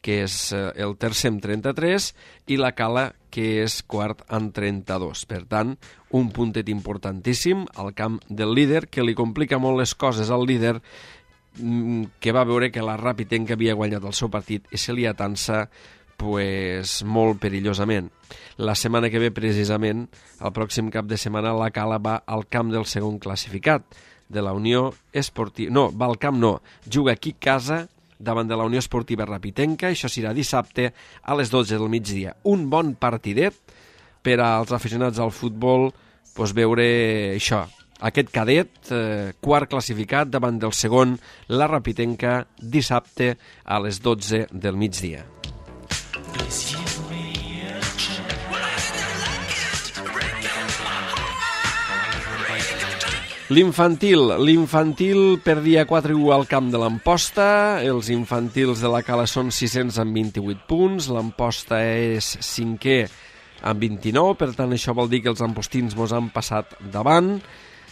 que és el tercer amb 33, i la Cala, que és quart amb 32. Per tant, un puntet importantíssim al camp del líder, que li complica molt les coses al líder, que va veure que la Rapitenca havia guanyat el seu partit i se li atansa molt perillosament. La setmana que ve, precisament, el pròxim cap de setmana, la Cala va al camp del segon classificat, de la Unió Esportiva... No, va al camp no, juga aquí a casa, davant de la Unió Esportiva Rapitenca. Això serà dissabte a les 12 del migdia. Un bon partidet per als aficionats al futbol, veure això, aquest cadet, quart classificat davant del segon, la Rapitenca, dissabte a les 12 del migdia. L'infantil perdia 4-1 al camp de l'Amposta. Els infantils de la Cala són 600 amb 28 punts, l'Amposta és 5è amb 29, per tant això vol dir que els ampostins mos han passat davant,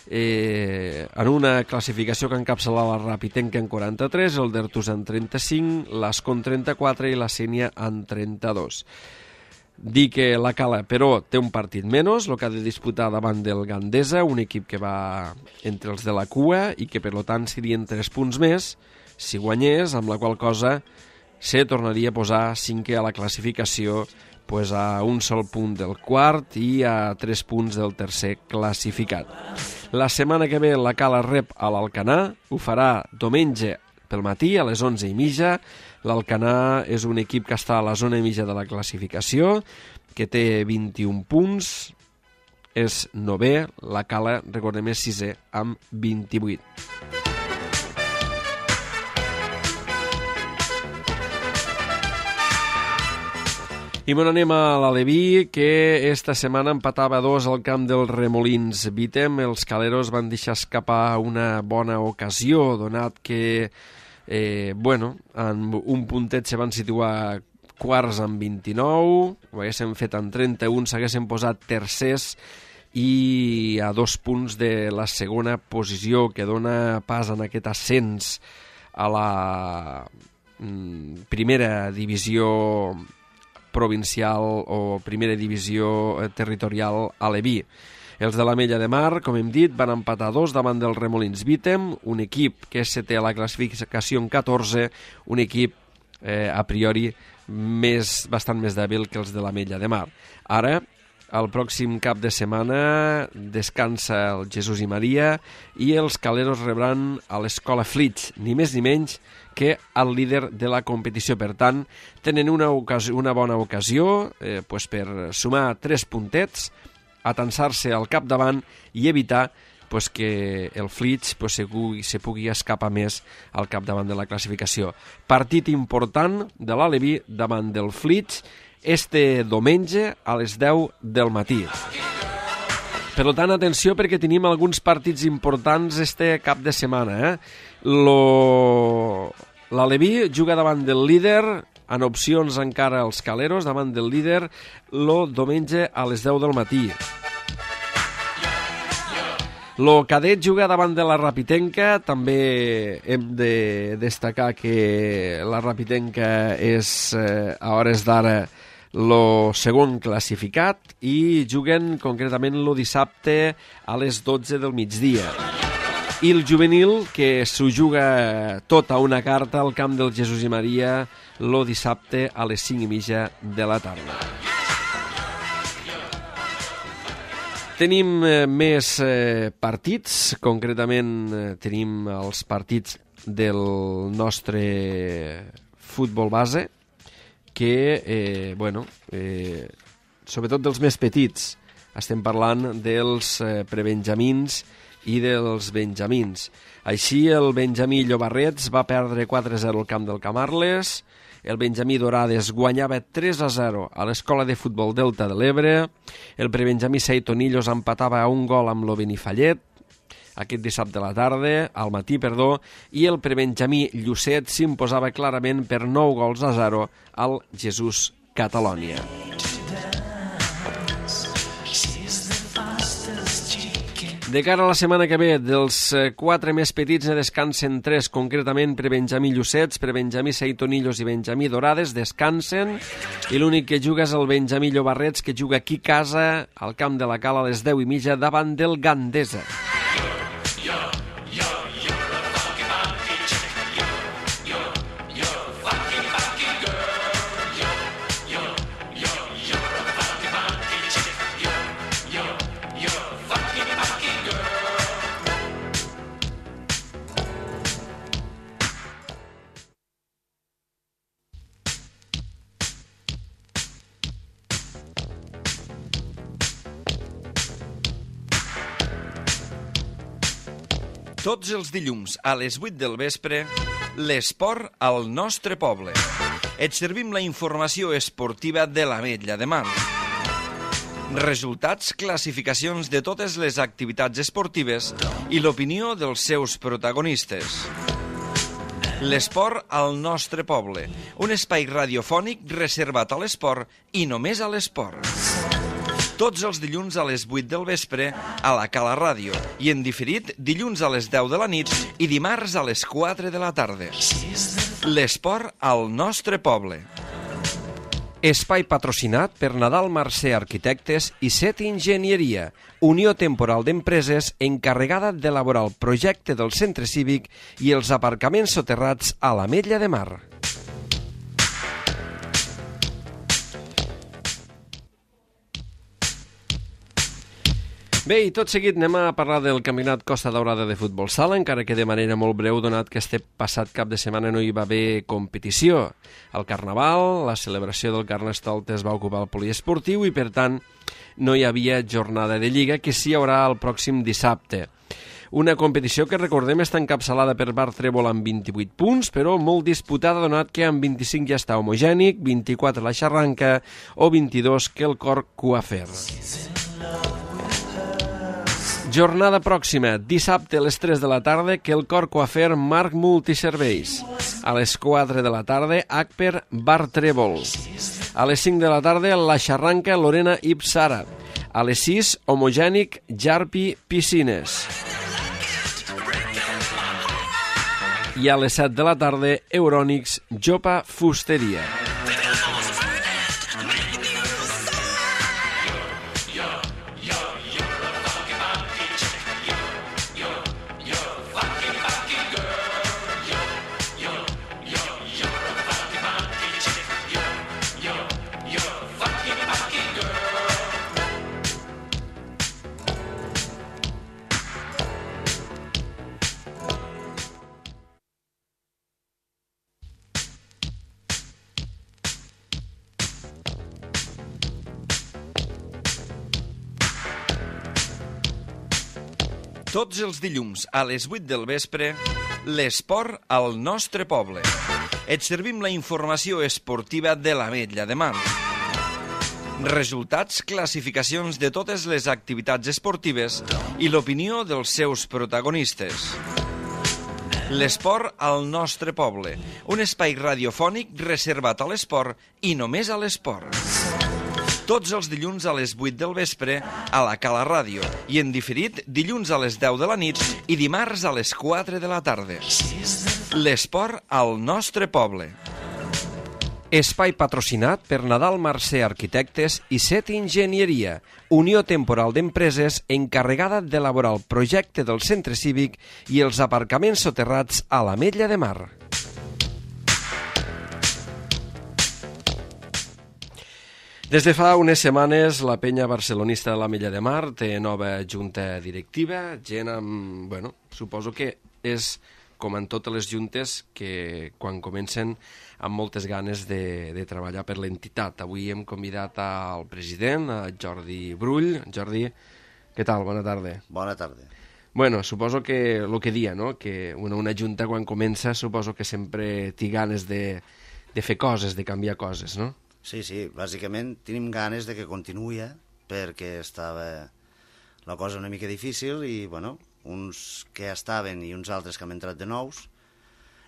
en una classificació que encapçala la Rapitenca en 43, el Dertus en 35, l'Escó en 34 i la Sénia en 32. Dir que la Cala, però, té un partit menys, el que ha de disputar davant del Gandesa, un equip que va entre els de la cua i que, per tant, serien 3 punts més si guanyés, amb la qual cosa se tornaria a posar 5è a la classificació, a un sol punt del quart i a 3 punts del tercer classificat. La setmana que ve la Cala rep a l'Alcanar, ho farà diumenge pel matí a les 11:30. L'Alcanar és un equip que està a la zona mitja de la classificació, que té 21 punts, és 9è, la Cala, recordem, és 6è amb 28. I anem a l'Aleví, que esta setmana empatava 2 al camp del Remolins Vítem. Els caleros van deixar escapar una bona ocasió, donat que en un puntet se van situar quarts amb 29, ho haguéssim fet en 31, s'haguessin posat tercers i a 2 punts de la segona posició, que dona pas en aquest ascens a primera divisió provincial o primera divisió territorial aleví. Els de l'Ametlla de Mar, com hem dit, van empatar 2 davant del Remolins Vítem, un equip que és setè a la classificació en 14, un equip a priori bastant més dèbil que els de l'Ametlla de Mar. Ara, el pròxim cap de setmana descansa el Jesús i Maria i els caleros rebran a l'Escola Flix, ni més ni menys que el líder de la competició. Per tant, tenen una bona ocasió per sumar 3 puntets, atansar-se al capdavant i evitar que el Flix se pugui escapar més al capdavant de la classificació. Partit important de l'Aleví davant del Flix este diumenge a les 10 del matí. Per tant, atenció, perquè tenim alguns partits importants este cap de setmana. L'Aleví juga davant del líder, en opcions encara els caleros, davant del líder, el diumenge a les 10 del matí. Lo cadet juga davant de la Rapitenca. També hem de destacar que la Rapitenca és a hores d'ara el segon classificat i juguen concretament el dissabte a les 12 del migdia. I el juvenil, que s'ho juga tot a una carta al camp del Jesús i Maria el dissabte a les 5:30 de la tarda. Tenim més partits, concretament tenim els partits del nostre futbol base, que, sobretot dels més petits, estem parlant dels prebenjamins i dels benjamins. Així, el benjamí Llobarrets va perdre 4-0 al camp del Camarles, el benjamí Dorades guanyava 3-0 a l'Escola de Futbol Delta de l'Ebre, el prebenjamí Seitonillos empatava a 1 gol amb lo Benifallet, aquest dissabte a la tarda, al matí, i el prebenjamí Llucet s'imposava clarament per 9-0 al Jesús Catalònia. De cara a la setmana que ve, dels 4 més petits ne descansen 3, concretament prebenjamí Llucets, prebenjamí Seitonillos i benjamí Dorades descansen, i l'únic que juga és el benjamí Llobarrets, que juga aquí a casa, al camp de la Cala, a les 10:30, davant del Gandesa. Tots els dilluns a les 8 del vespre, l'esport al nostre poble. Et servim la informació esportiva de l'Ametlla de Mar. Resultats, classificacions de totes les activitats esportives i l'opinió dels seus protagonistes. L'esport al nostre poble, un espai radiofònic reservat a l'esport i només a l'esport. Tots els dilluns a les 8 del vespre a la Cala Ràdio i en diferit dilluns a les 10 de la nit i dimarts a les 4 de la tarda. L'esport al nostre poble. Espai patrocinat per Nadal Mercè Arquitectes i Set Enginyeria, Unió Temporal d'Empreses encarregada d'elaborar el projecte del centre cívic i els aparcaments soterrats a l'Ametlla de Mar. Bé, i tot seguit anem a parlar del Campionat Costa Daurada de Futbol Sala, encara que de manera molt breu, donat que este passat cap de setmana no hi va haver competició. El Carnaval, la celebració del Carnestoltes va ocupar el poliesportiu i, per tant, no hi havia jornada de Lliga, que sí hi haurà el pròxim dissabte. Una competició que, recordem, està encapçalada per Bar Trèvol amb 28 punts, però molt disputada, donat que amb 25 ja està Homogènic, 24 la Xarranca o 22 que el Cor Coafer. Jornada pròxima, dissabte a les 3 de la tarda, que el Cor Coafer Marc Multiserveis. A les 4 de la tarda, Acper Bar Trèvol. A les 5 de la tarda, la Xarranca Lorena Ipsara. A les 6, Homogènic Jarpi Piscines. I a les 7 de la tarda, Eurònics, Jopa Fusteria. Tots els dilluns a les 8 del vespre, l'esport al nostre poble. Et servim la informació esportiva de l'Ametlla de Mar. Resultats, classificacions de totes les activitats esportives i l'opinió dels seus protagonistes. L'esport al nostre poble, un espai radiofònic reservat a l'esport i només a l'esport. Tots els dilluns a les 8 del vespre a la Cala Ràdio i en diferit dilluns a les 10 de la nit i dimarts a les 4 de la tarda. L'esport al nostre poble. Espai patrocinat per Nadal Mercè Arquitectes i Set Enginyeria, unió temporal d'empreses encarregada d'elaborar el projecte del centre cívic i els aparcaments soterrats a l'Ametlla de Mar. Des de fa unes setmanes, la penya barcelonista de l'Ametlla de Mar té nova junta directiva, gent amb... Bueno, suposo que és com en totes les juntes que quan comencen amb moltes ganes de treballar per l'entitat. Avui hem convidat al president, a Jordi Brull. Jordi, què tal? Bona tarda. Bona tarda. Bueno, suposo que el que dia, no? Que una junta quan comença suposo que sempre té ganes de fer coses, de canviar coses, no? Sí, bàsicament tenim ganes de que continuï perquè estava la cosa una mica difícil i, bueno, uns que estaven i uns altres que han entrat de nous,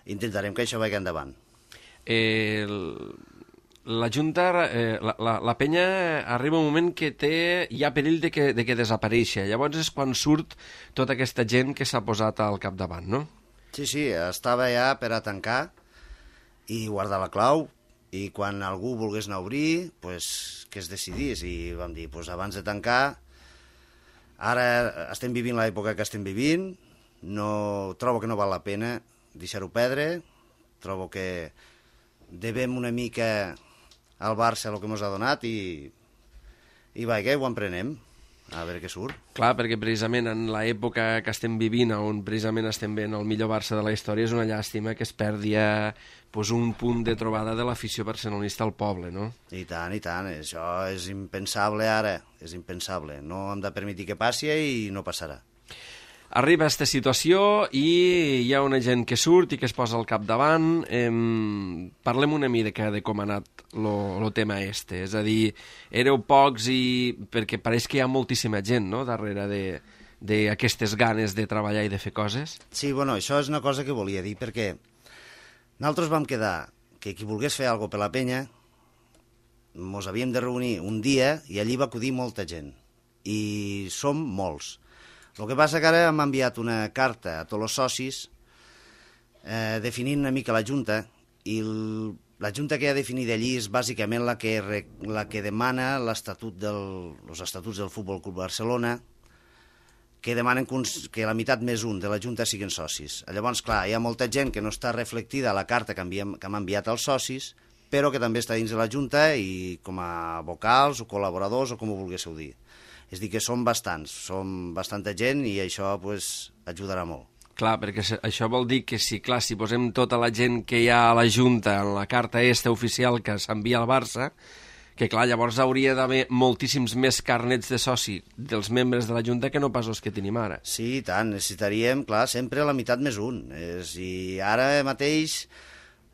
intentarem que això vagi endavant. La Junta, la penya arriba un moment que hi ha perill de que desapareixi. Llavors és quan surt tota aquesta gent que s'ha posat al capdavant, no? Sí, estava ja per a tancar i guardar la clau, i quan algú volgués anar a obrir, pues, que es decidís. I vam dir, pues, abans de tancar, ara estem vivint l'època que estem vivint, trobo que no val la pena deixar-ho perdre, trobo que devem una mica al Barça el que ens ha donat i vaja, ho emprenem, a veure què surt. Clar, perquè precisament en l'època que estem vivint, on precisament estem veient el millor Barça de la història, és una llàstima que es perdi un punt de trobada de l'afició barcelonista al poble, no? I tant, això és impensable ara, és impensable. No hem de permetre que passi i no passarà. Arriba aquesta situació i hi ha una gent que surt i que es posa al capdavant. Parlem una mica de com ha anat el tema este. És a dir, éreu pocs perquè pareix que hi ha moltíssima gent, no?, darrere d'aquestes ganes de treballar i de fer coses. Sí, bueno, això és una cosa que volia dir, perquè nosaltres vam quedar que qui volgués fer alguna cosa per la penya ens havíem de reunir un dia i allí va acudir molta gent. I som molts. El que passa que ara hem enviat una carta a tots els socis definint una mica la Junta i la Junta que ha definit allí és bàsicament la que demana els estatuts del Futbol Club Barcelona, que demanen que la meitat més un de la Junta siguin socis. Llavors, clar, hi ha molta gent que no està reflectida a la carta que hem enviat als socis, però que també està dins de la Junta i com a vocals o col·laboradors o com ho volguéssiu dir. És a dir, que som bastants, som bastanta gent i això pues, ajudarà molt. Clar, perquè això vol dir que si posem tota la gent que hi ha a la Junta en la carta oficial que s'envia al Barça, que clar, llavors hauria d'haver moltíssims més carnets de soci dels membres de la Junta que no pas els que tenim ara. Sí, i tant, necessitaríem, clar, sempre la meitat més un. I ara mateix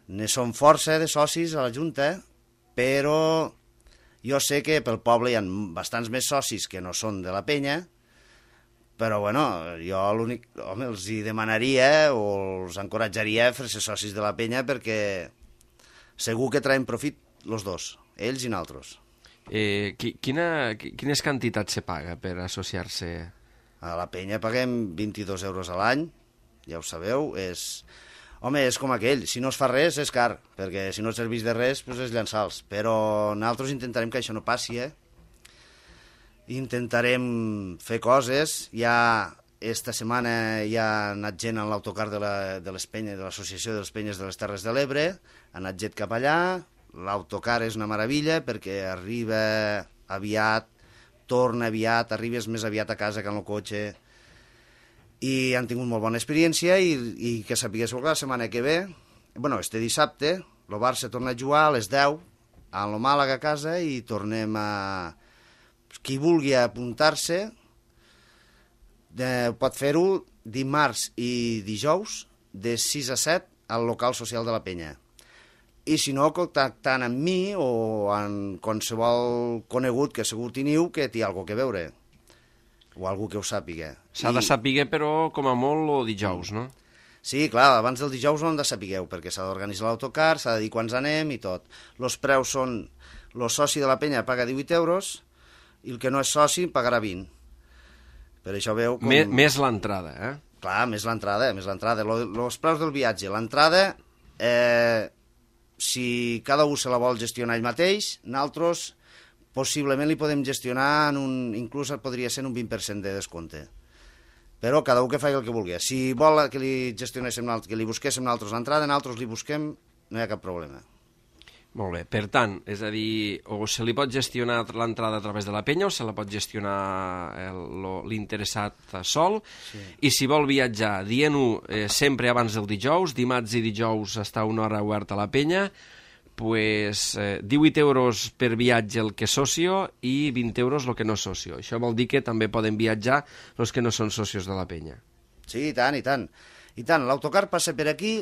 ne som força de socis a la Junta, però jo sé que pel poble hi ha bastants més socis que no són de la penya, però bueno, jo l'únic, els hi demanaria o els encoratjaria a fer-se socis de la penya perquè segur que traiem profit els dos, ells i nosaltres. Quines quantitats se paga per associar-se? A la penya paguem 22 euros a l'any, ja ho sabeu, és Home, és com aquell, si no es fa res és car, perquè si no et serveix de res doncs és llançar-los, però nosaltres intentarem que això no passi, Intentarem fer coses, esta setmana ja ha anat gent en l'autocar de les Penyes, de l'Associació de les Penyes de les Terres de l'Ebre, ha anat gent cap allà, l'autocar és una meravella perquè arriba aviat, torna aviat, arribes més aviat a casa que en el cotxe, i han tingut molt bona experiència i que sapiguéssiu que la setmana que ve, este dissabte, el Barça torna a jugar a les 10 a lo Màlaga a casa i tornem a... Qui vulgui apuntar-se pot fer-ho dimarts i dijous de 6 a 7 al local social de la Penya. I si no, contactant amb mi o amb qualsevol conegut que segur teniu que té alguna cosa a veure o algú que ho sàpiga. S'ha de saber, però, com a molt, o dijous, no? Sí, clar, abans del dijous no en de sapigueu, perquè s'ha d'organitzar l'autocar, s'ha de dir quants anem i tot. Els preus són... El soci de la Penya paga 18 euros i el que no és soci pagarà 20. Per això veu com... Més l'entrada, Clar, més l'entrada. Els preus del viatge. L'entrada, si cada un se la vol gestionar ell mateix, nosaltres possiblement li podem gestionar inclús podria ser un 20% de descompte. Però cada un que faci el que vulgui. Si vol que li gestionéssim, que li busquéssim nosaltres l'entrada, nosaltres li busquem, no hi ha cap problema. Molt bé, per tant, és a dir, o se li pot gestionar l'entrada a través de la penya o se la pot gestionar l'interessat sol, sí. I si vol viatjar, dient-ho sempre abans del dijous, dimarts i dijous està una hora oberta a la penya, pues 18 euros per viatge el que és socio i 20 euros el que no és socio. Això vol dir que també poden viatjar els que no són socios de la penya. Sí, i tant, i tant. I tant, l'autocar passa per aquí.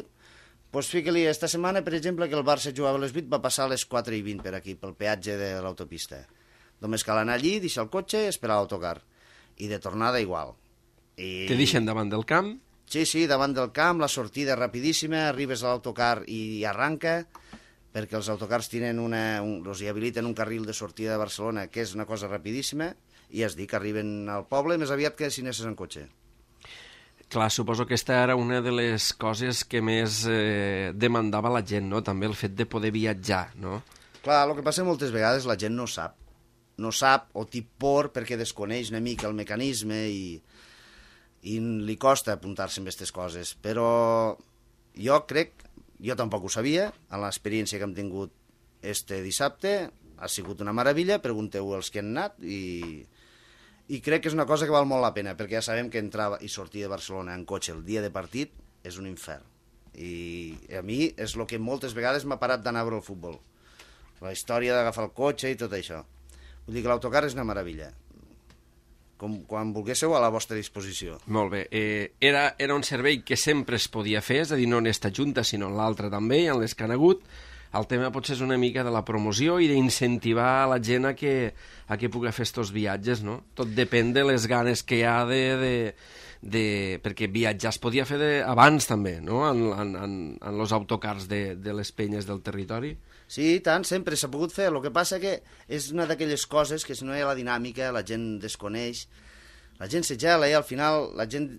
Doncs fica-li, esta setmana, per exemple, que el Barça jugava a les 8, va passar a les 4:20 per aquí, pel peatge de l'autopista. Només cal anar allí, deixar el cotxe i esperar l'autocar. I de tornada igual. Te deixen davant del camp? Sí, davant del camp, la sortida rapidíssima, arribes a l'autocar i arranca, perquè els autocars els hi habiliten un carril de sortida de Barcelona, que és una cosa rapidíssima, i es diu que arriben al poble més aviat que si anessis en cotxe. Clar, suposo que aquesta era una de les coses que més demandava la gent, no? També el fet de poder viatjar, no? Clar, el que passa moltes vegades la gent no sap. No sap o té por perquè desconeix una mica el mecanisme i li costa apuntar-se amb aquestes coses. Però jo crec, jo tampoc ho sabia, en l'experiència que hem tingut este dissabte, ha sigut una meravella, pregunteu als que han anat i crec que és una cosa que val molt la pena, perquè ja sabem que entrar i sortir de Barcelona en cotxe el dia de partit és un infern. I a mi és el que moltes vegades m'ha parat d'anar a veure el futbol. La història d'agafar el cotxe i tot això. Vull dir que l'autocar és una meravella. Quan volguéssiu, a la vostra disposició. Molt bé. Era un servei que sempre es podia fer, és a dir, no en esta junta, sinó en l'altra també, en les que han hagut. El tema potser és una mica de la promoció i d'incentivar la gent a que pugui fer estos viatges, no? Tot depèn de les ganes que hi ha perquè viatjar es podia fer abans també, no? En els autocars de les penyes del territori. Sí, tant, sempre s'ha pogut fer. El que passa que és una d'aquelles coses que si no hi ha la dinàmica, la gent desconeix, la gent se gela i al final la gent...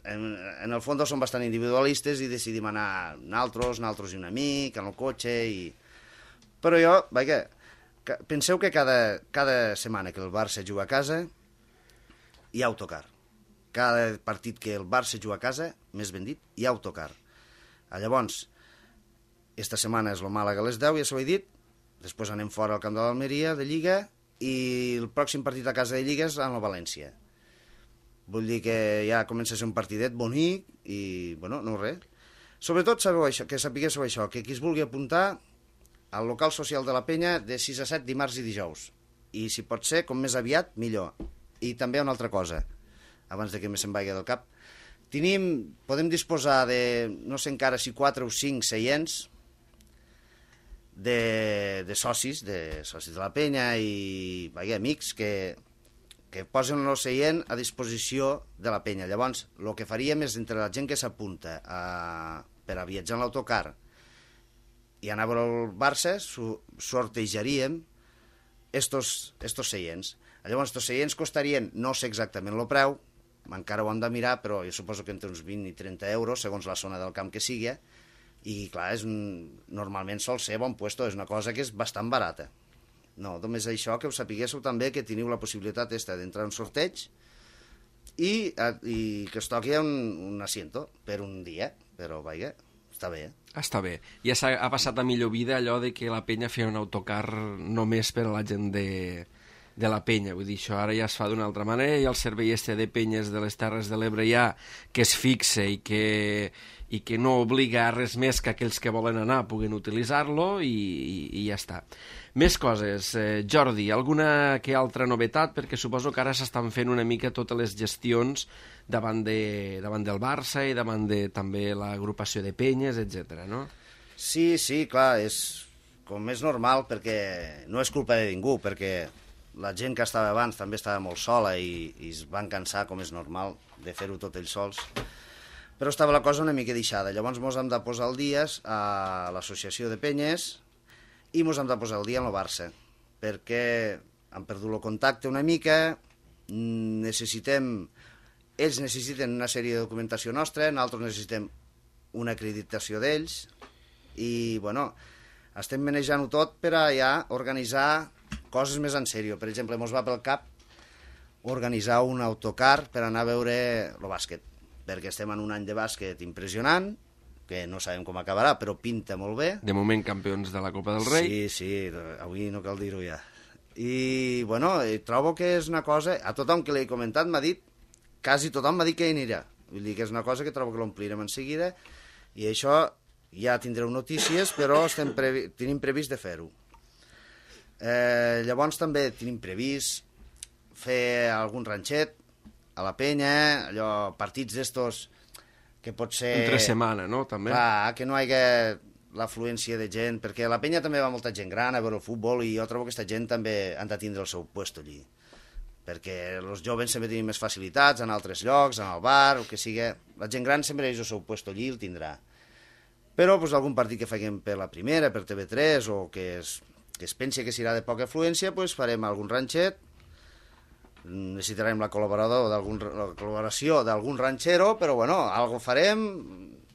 En el fons són bastant individualistes i decidim anar nosaltres i un amic, en el cotxe Però jo, penseu que cada setmana que el Barça juga a casa hi ha autocar. Cada partit que el Barça juga a casa, més ben dit, hi ha autocar. Llavors, esta setmana és el Màlaga a les 10, ja s'ho he dit, després anem fora al camp de l'Almeria, de Lliga, i el pròxim partit a casa de Lliga és en el València. Vull dir que ja comença a ser un partidet bonic i, bueno, no res. Sobretot que sapiguéssiu això, que qui es vulgui apuntar al local social de la penya de 6 a 7 dimarts i dijous. I si pot ser, com més aviat, millor. I també una altra cosa, abans de que se'n vagi del cap. Podem disposar de, no sé encara si 4 o 5 seients de socis de la penya i amics que posen el seient a disposició de la penya. Llavors, el que faríem és, entre la gent que s'apunta per a viatjar en l'autocar i anar a veure el Barça, sortejaríem estos seients. Llavors, estos seients costarien, no sé exactament el preu, encara ho hem de mirar, però jo suposo que entre uns 20 i 30 euros, segons la zona del camp que sigui, i clar, normalment sol ser bon puesto, és una cosa que és bastant barata. No, només això, que ho sapiguéssiu també, que teniu la possibilitat d'entrar en un sorteig i que es toqui un asiento per un dia, però vaja, està bé. Està bé. Ja ha passat a millor vida allò de que la penya feia un autocar només per a la gent de la penya. Vull dir, això ara ja es fa d'una altra manera, i el servei de penyes de les Terres de l'Ebre ja que es fixe i que no obliga a res més que aquells que volen anar puguen utilitzar-lo i ja està. Més coses. Jordi, alguna que altra novetat? Perquè suposo que ara s'estan fent una mica totes les gestions davant del Barça i davant de també l'agrupació de penyes, etc. no? Sí, clar, com és normal, perquè no és culpa de ningú, perquè la gent que estava abans també estava molt sola i es van cansar, com és normal, de fer-ho tot ells sols. Però estava la cosa una mica deixada. Llavors ens hem de posar al dia a l'associació de penyes i ens hem de posar al dia en el Barça, perquè hem perdut el contacte una mica, ells necessiten una sèrie de documentació nostra, nosaltres necessitem una acreditació d'ells, i, bueno, estem manejant-ho tot per a ja organitzar coses més en sèrio. Per exemple, ens va pel cap organitzar un autocar per anar a veure el bàsquet, perquè estem en un any de bàsquet impressionant, que no sabem com acabarà, però pinta molt bé. De moment campions de la Copa del Rei. Sí, avui no cal dir-ho ja. I, bueno, trobo que és una cosa... A tothom que l'he comentat m'ha dit, quasi tothom m'ha dit que hi anirà. Vull dir que és una cosa que trobo que l'omplirem en seguida, i això ja tindreu notícies, però tenim previst de fer-ho. Llavors també tenim previst fer algun ranxet a la penya, allò, partits d'estos que pot ser... Entre setmana, no? També. Clar, que no hi hagi l'afluència de gent, perquè a la penya també va molta gent gran a veure el futbol, i jo trobo que aquesta gent també han de tindre el seu puesto allí, perquè els joves sempre tenen més facilitats en altres llocs, en el bar, o que sigui. La gent gran sempre és el seu puesto allí, el tindrà. Però pues, algun partit que faguem per la primera, per TV3, o que es pensi que serà de poca afluència, pues, farem algun ranxet. Necessitarem la col·laboració d'algun ranxero, però bueno, algo farem,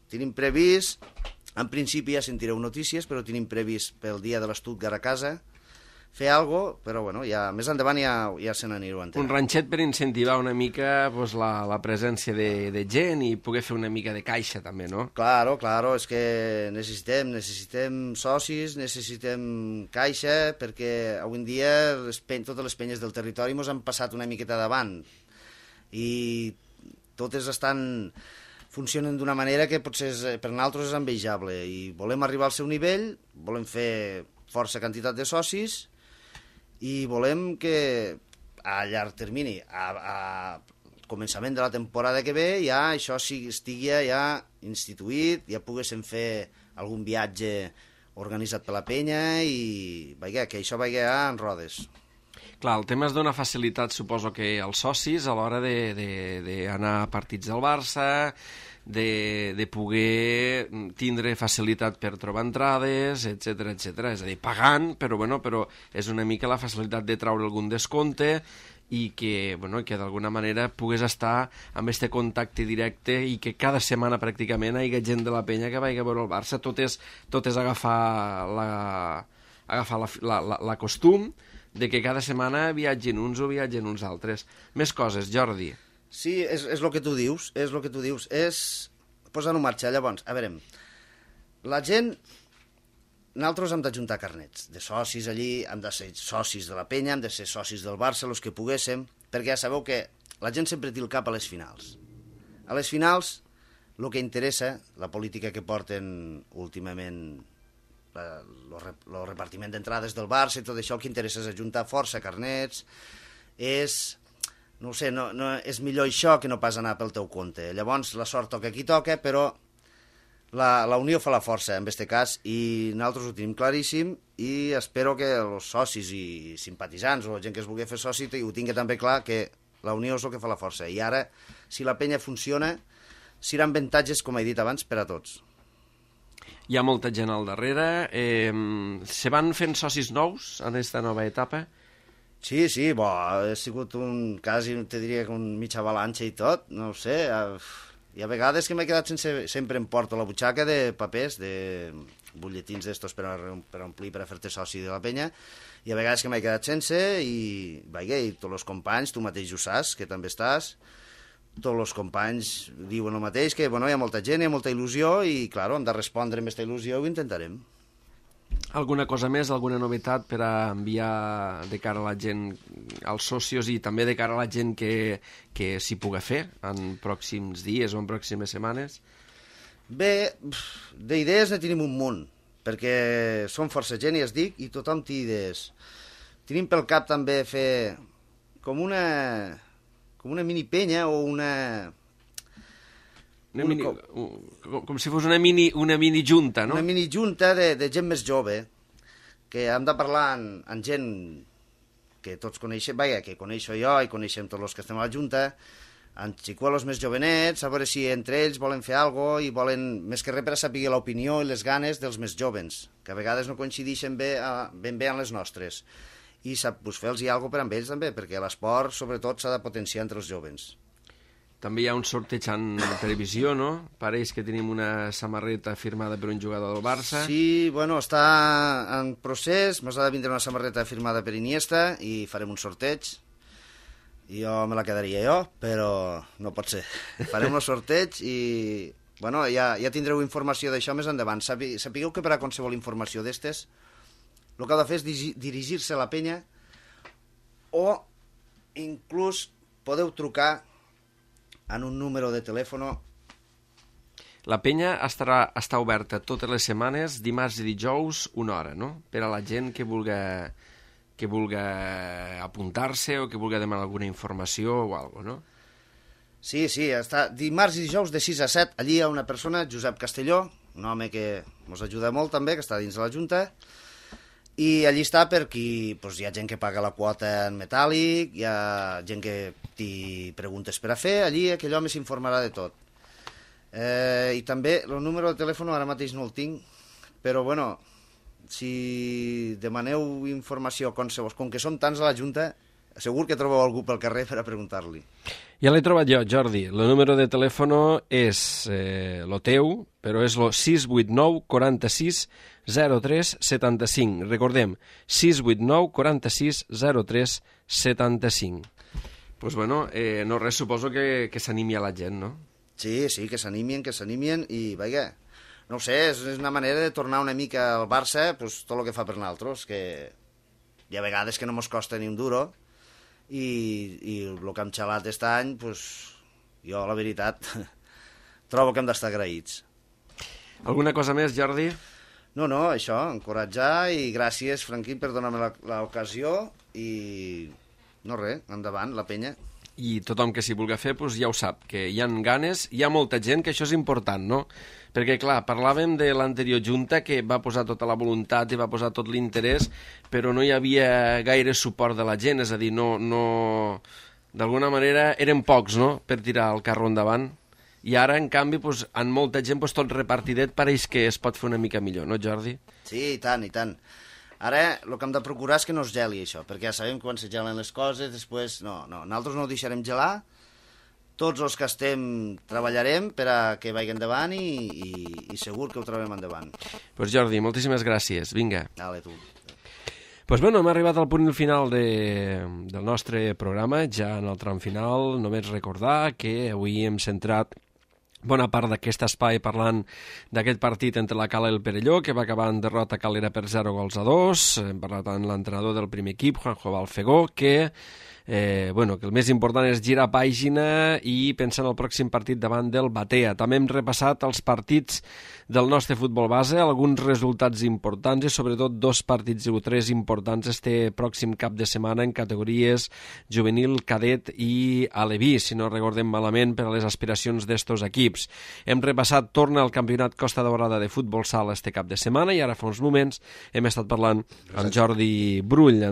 tenim previst, en principi ja sentireu notícies, però tenim previst pel dia de l'Stuttgart a casa fer algo, però bueno, ja més endavant ja se n'anireu entenent. Un ranxet per incentivar una mica pues, la presència de gent i poder fer una mica de caixa també, no? Claro, és que necessitem socis, necessitem caixa, perquè avui en dia totes les penyes del territori ens han passat una miqueta davant i totes funcionen d'una manera que potser per nosaltres és envejable, i volem arribar al seu nivell, volem fer força quantitat de socis i volem que a llarg termini, a començament de la temporada que ve, ja això estigui ja instituït, ja poguéssim fer algun viatge organitzat per la penya i que això vagi en rodes. Clar, el tema es dona facilitat, suposo que als socis a l'hora d'anar a partits del Barça, de poder tindre facilitat per trobar entrades, etc. És a dir, pagant, però és una mica la facilitat de treure algun descompte i que d'alguna manera pugues estar amb aquest contacte directe i que cada setmana pràcticament hi hagi gent de la penya que vagi a veure el Barça. Tot és agafar la costum de que cada setmana viatgin uns o viatgen uns altres. Més coses, Jordi. Sí, és el que tu dius, és posar-ho en marxa. Llavors, a veure, la gent, nosaltres hem d'ajuntar carnets de socis allí, hem de ser socis de la penya, hem de ser socis del Barça, els que poguéssim, perquè ja sabeu que la gent sempre té el cap a les finals. A les finals, el que interessa, la política que porten últimament, el repartiment d'entrades del Barça i tot això, el que interessa és ajuntar força carnets, no ho sé, és millor això que no pas anar pel teu compte. Llavors, la sort toca qui toca, però la unió fa la força, en aquest cas, i nosaltres ho tenim claríssim, i espero que els socis i simpatitzants o gent que es vulgui fer soci ho tingui també clar, que la unió és el que fa la força. I ara, si la penya funciona, seran avantatges, com he dit abans, per a tots. Hi ha molta gent al darrere. Se van fent socis nous en aquesta nova etapa? Sí, ha sigut quasi, te diria que un mitja avalanxa i tot, no ho sé. Hi ha vegades que m'he quedat sempre em porto la butxaca de papers, de butlletins d'estos per omplir, per a fer-te soci de la penya, i a vegades que m'he quedat sense, i tots els companys, tu mateix ho saps, que també estàs, tots els companys diuen el mateix, que hi ha molta gent, hi ha molta il·lusió, i, clar, hem de respondre amb aquesta il·lusió i ho intentarem. Alguna cosa més, alguna novetat per a enviar de cara a la gent, als socios, i també de cara a la gent que s'hi pugui fer en pròxims dies o en pròximes setmanes? Bé, d'idees ne tenim un munt, perquè som força gent, ja es dic, i tothom té idees. Tenim pel cap també fer com una mini penya o com si fos una mini junta, no? Una mini junta de gent més jove, que hem de parlar amb gent que tots coneixem, que coneixo jo i coneixem tots els que estem a la junta, amb xicuelos més jovenets, a veure si entre ells volen fer alguna cosa i volen, més que res, per a saber l'opinió i les ganes dels més jovens, que a vegades no coincideixen ben bé amb les nostres. I fer-los alguna cosa per amb ells també, perquè l'esport, sobretot, s'ha de potenciar entre els jovens. També hi ha un sorteig en televisió, no? Pareix que tenim una samarreta firmada per un jugador del Barça. Sí, està en procés, ens ha de vindre una samarreta firmada per Iniesta i farem un sorteig. Jo me la quedaria jo, però no pot ser. Farem un sorteig i ja tindreu informació d'això més endavant. Sapigueu que per a qualsevol informació d'estes, el que heu de fer és dirigir-se a la penya, o inclús podeu trucar en un número de telèfon. La penya està oberta totes les setmanes, dimarts i dijous, 1 hora, no? Per a la gent que vulgui apuntar-se o que vulgui demanar alguna informació o alguna cosa, no? Sí, està dimarts i dijous de 6 a 7. Allí hi ha una persona, Josep Castelló, un home que ens ajuda molt també, que està dins de la Junta, i allí està per qui hi ha gent que paga la quota en metàl·lic, hi ha gent que té preguntes per a fer, allí aquell home s'informarà de tot. I també el número de telèfon ara mateix no el tinc, però si demaneu informació com que som tants a la Junta, segur que trobeu algú pel carrer per a preguntar-li. Ja l'he trobat jo, Jordi. El número de telèfon és el teu, però és el 689 46 03 75. Recordem, 689 46 03 75. Doncs no res, suposo que s'animi a la gent, no? Sí, que s'animin i, no ho sé, és una manera de tornar una mica al Barça, tot el que fa per nosaltres, que hi ha vegades que no mos costa ni un duro, i el que hem xalat aquest any, jo, la veritat, trobo que hem d'estar agraïts. Alguna cosa més, Jordi? No, això, encoratjar, i gràcies, Franquín, per donar-me l'ocasió, i no res, endavant, la penya. I tothom que s'hi vulgui fer, ja ho sap, que hi ha ganes, hi ha molta gent, que això és important, no? Perquè, clar, parlàvem de l'anterior junta, que va posar tota la voluntat i va posar tot l'interès, però no hi havia gaire suport de la gent, és a dir, d'alguna manera eren pocs, no?, per tirar el carro endavant. I ara, en canvi, en molta gent, tot repartidet, pareix que es pot fer una mica millor, no, Jordi? Sí, i tant. Ara, el que hem de procurar és que no es geli, això, perquè ja sabem que quan se gelen les coses, després, nosaltres no ho deixarem gelar, tots els que estem treballarem per a que vagi endavant i segur que ho trobem endavant. Doncs Jordi, moltíssimes gràcies, vinga. Dale, tu. Doncs hem arribat al punt final del nostre programa, ja en el tram final. Només recordar que avui hem centrat bona part d'aquest espai parlant d'aquest partit entre la Cala i el Perelló, que va acabar en derrota calera per 0-2. Hem parlat amb l'entrenador del primer equip, Juanjo Balfegó, que el més important és girar pàgina i pensar en el pròxim partit davant del Batea. També hem repassat els partits del nostre futbol base, alguns resultats importants i sobretot 2 partits i 3 importants este pròxim cap de setmana en categories juvenil, cadet i aleví, si no recordem malament, per a les aspiracions d'estos equips. Hem repassat, torna al campionat Costa Daurada de futbol sala este cap de setmana, i ara fa uns moments hem estat parlant amb Jordi Brull,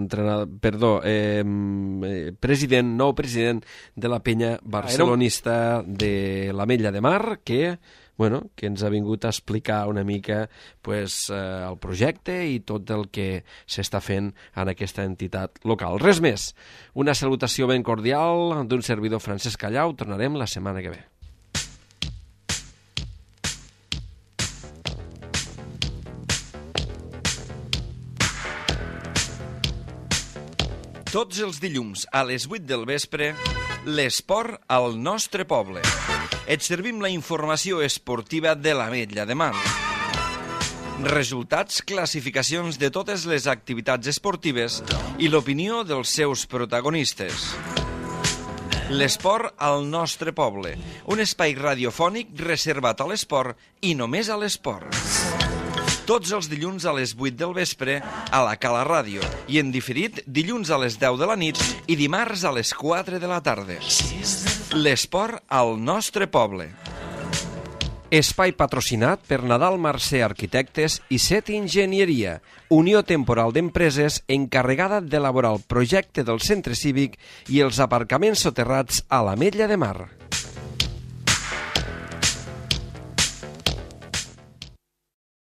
nou president de la penya barcelonista de l'Ametlla de Mar, que que ens ha vingut a explicar una mica el projecte i tot el que s'està fent en aquesta entitat local. Res més, una salutació ben cordial d'un servidor Francesc Callau. Tornarem la setmana que ve. Tots els dilluns a les 8 del vespre, l'esport al nostre poble. Et servim la informació esportiva de l'Ametlla de Mar. Resultats, classificacions de totes les activitats esportives i l'opinió dels seus protagonistes. L'esport al nostre poble, un espai radiofònic reservat a l'esport i només a l'esport. Tots els dilluns a les 8 del vespre a la Cala Ràdio i en diferit dilluns a les 10 de la nit i dimarts a les 4 de la tarda. L'esport al nostre poble. Espai patrocinat per Nadal Mercè Arquitectes i Set Enginyeria, unió temporal d'empreses encarregada d'elaborar el projecte del centre cívic i els aparcaments soterrats a l'Ametlla de Mar.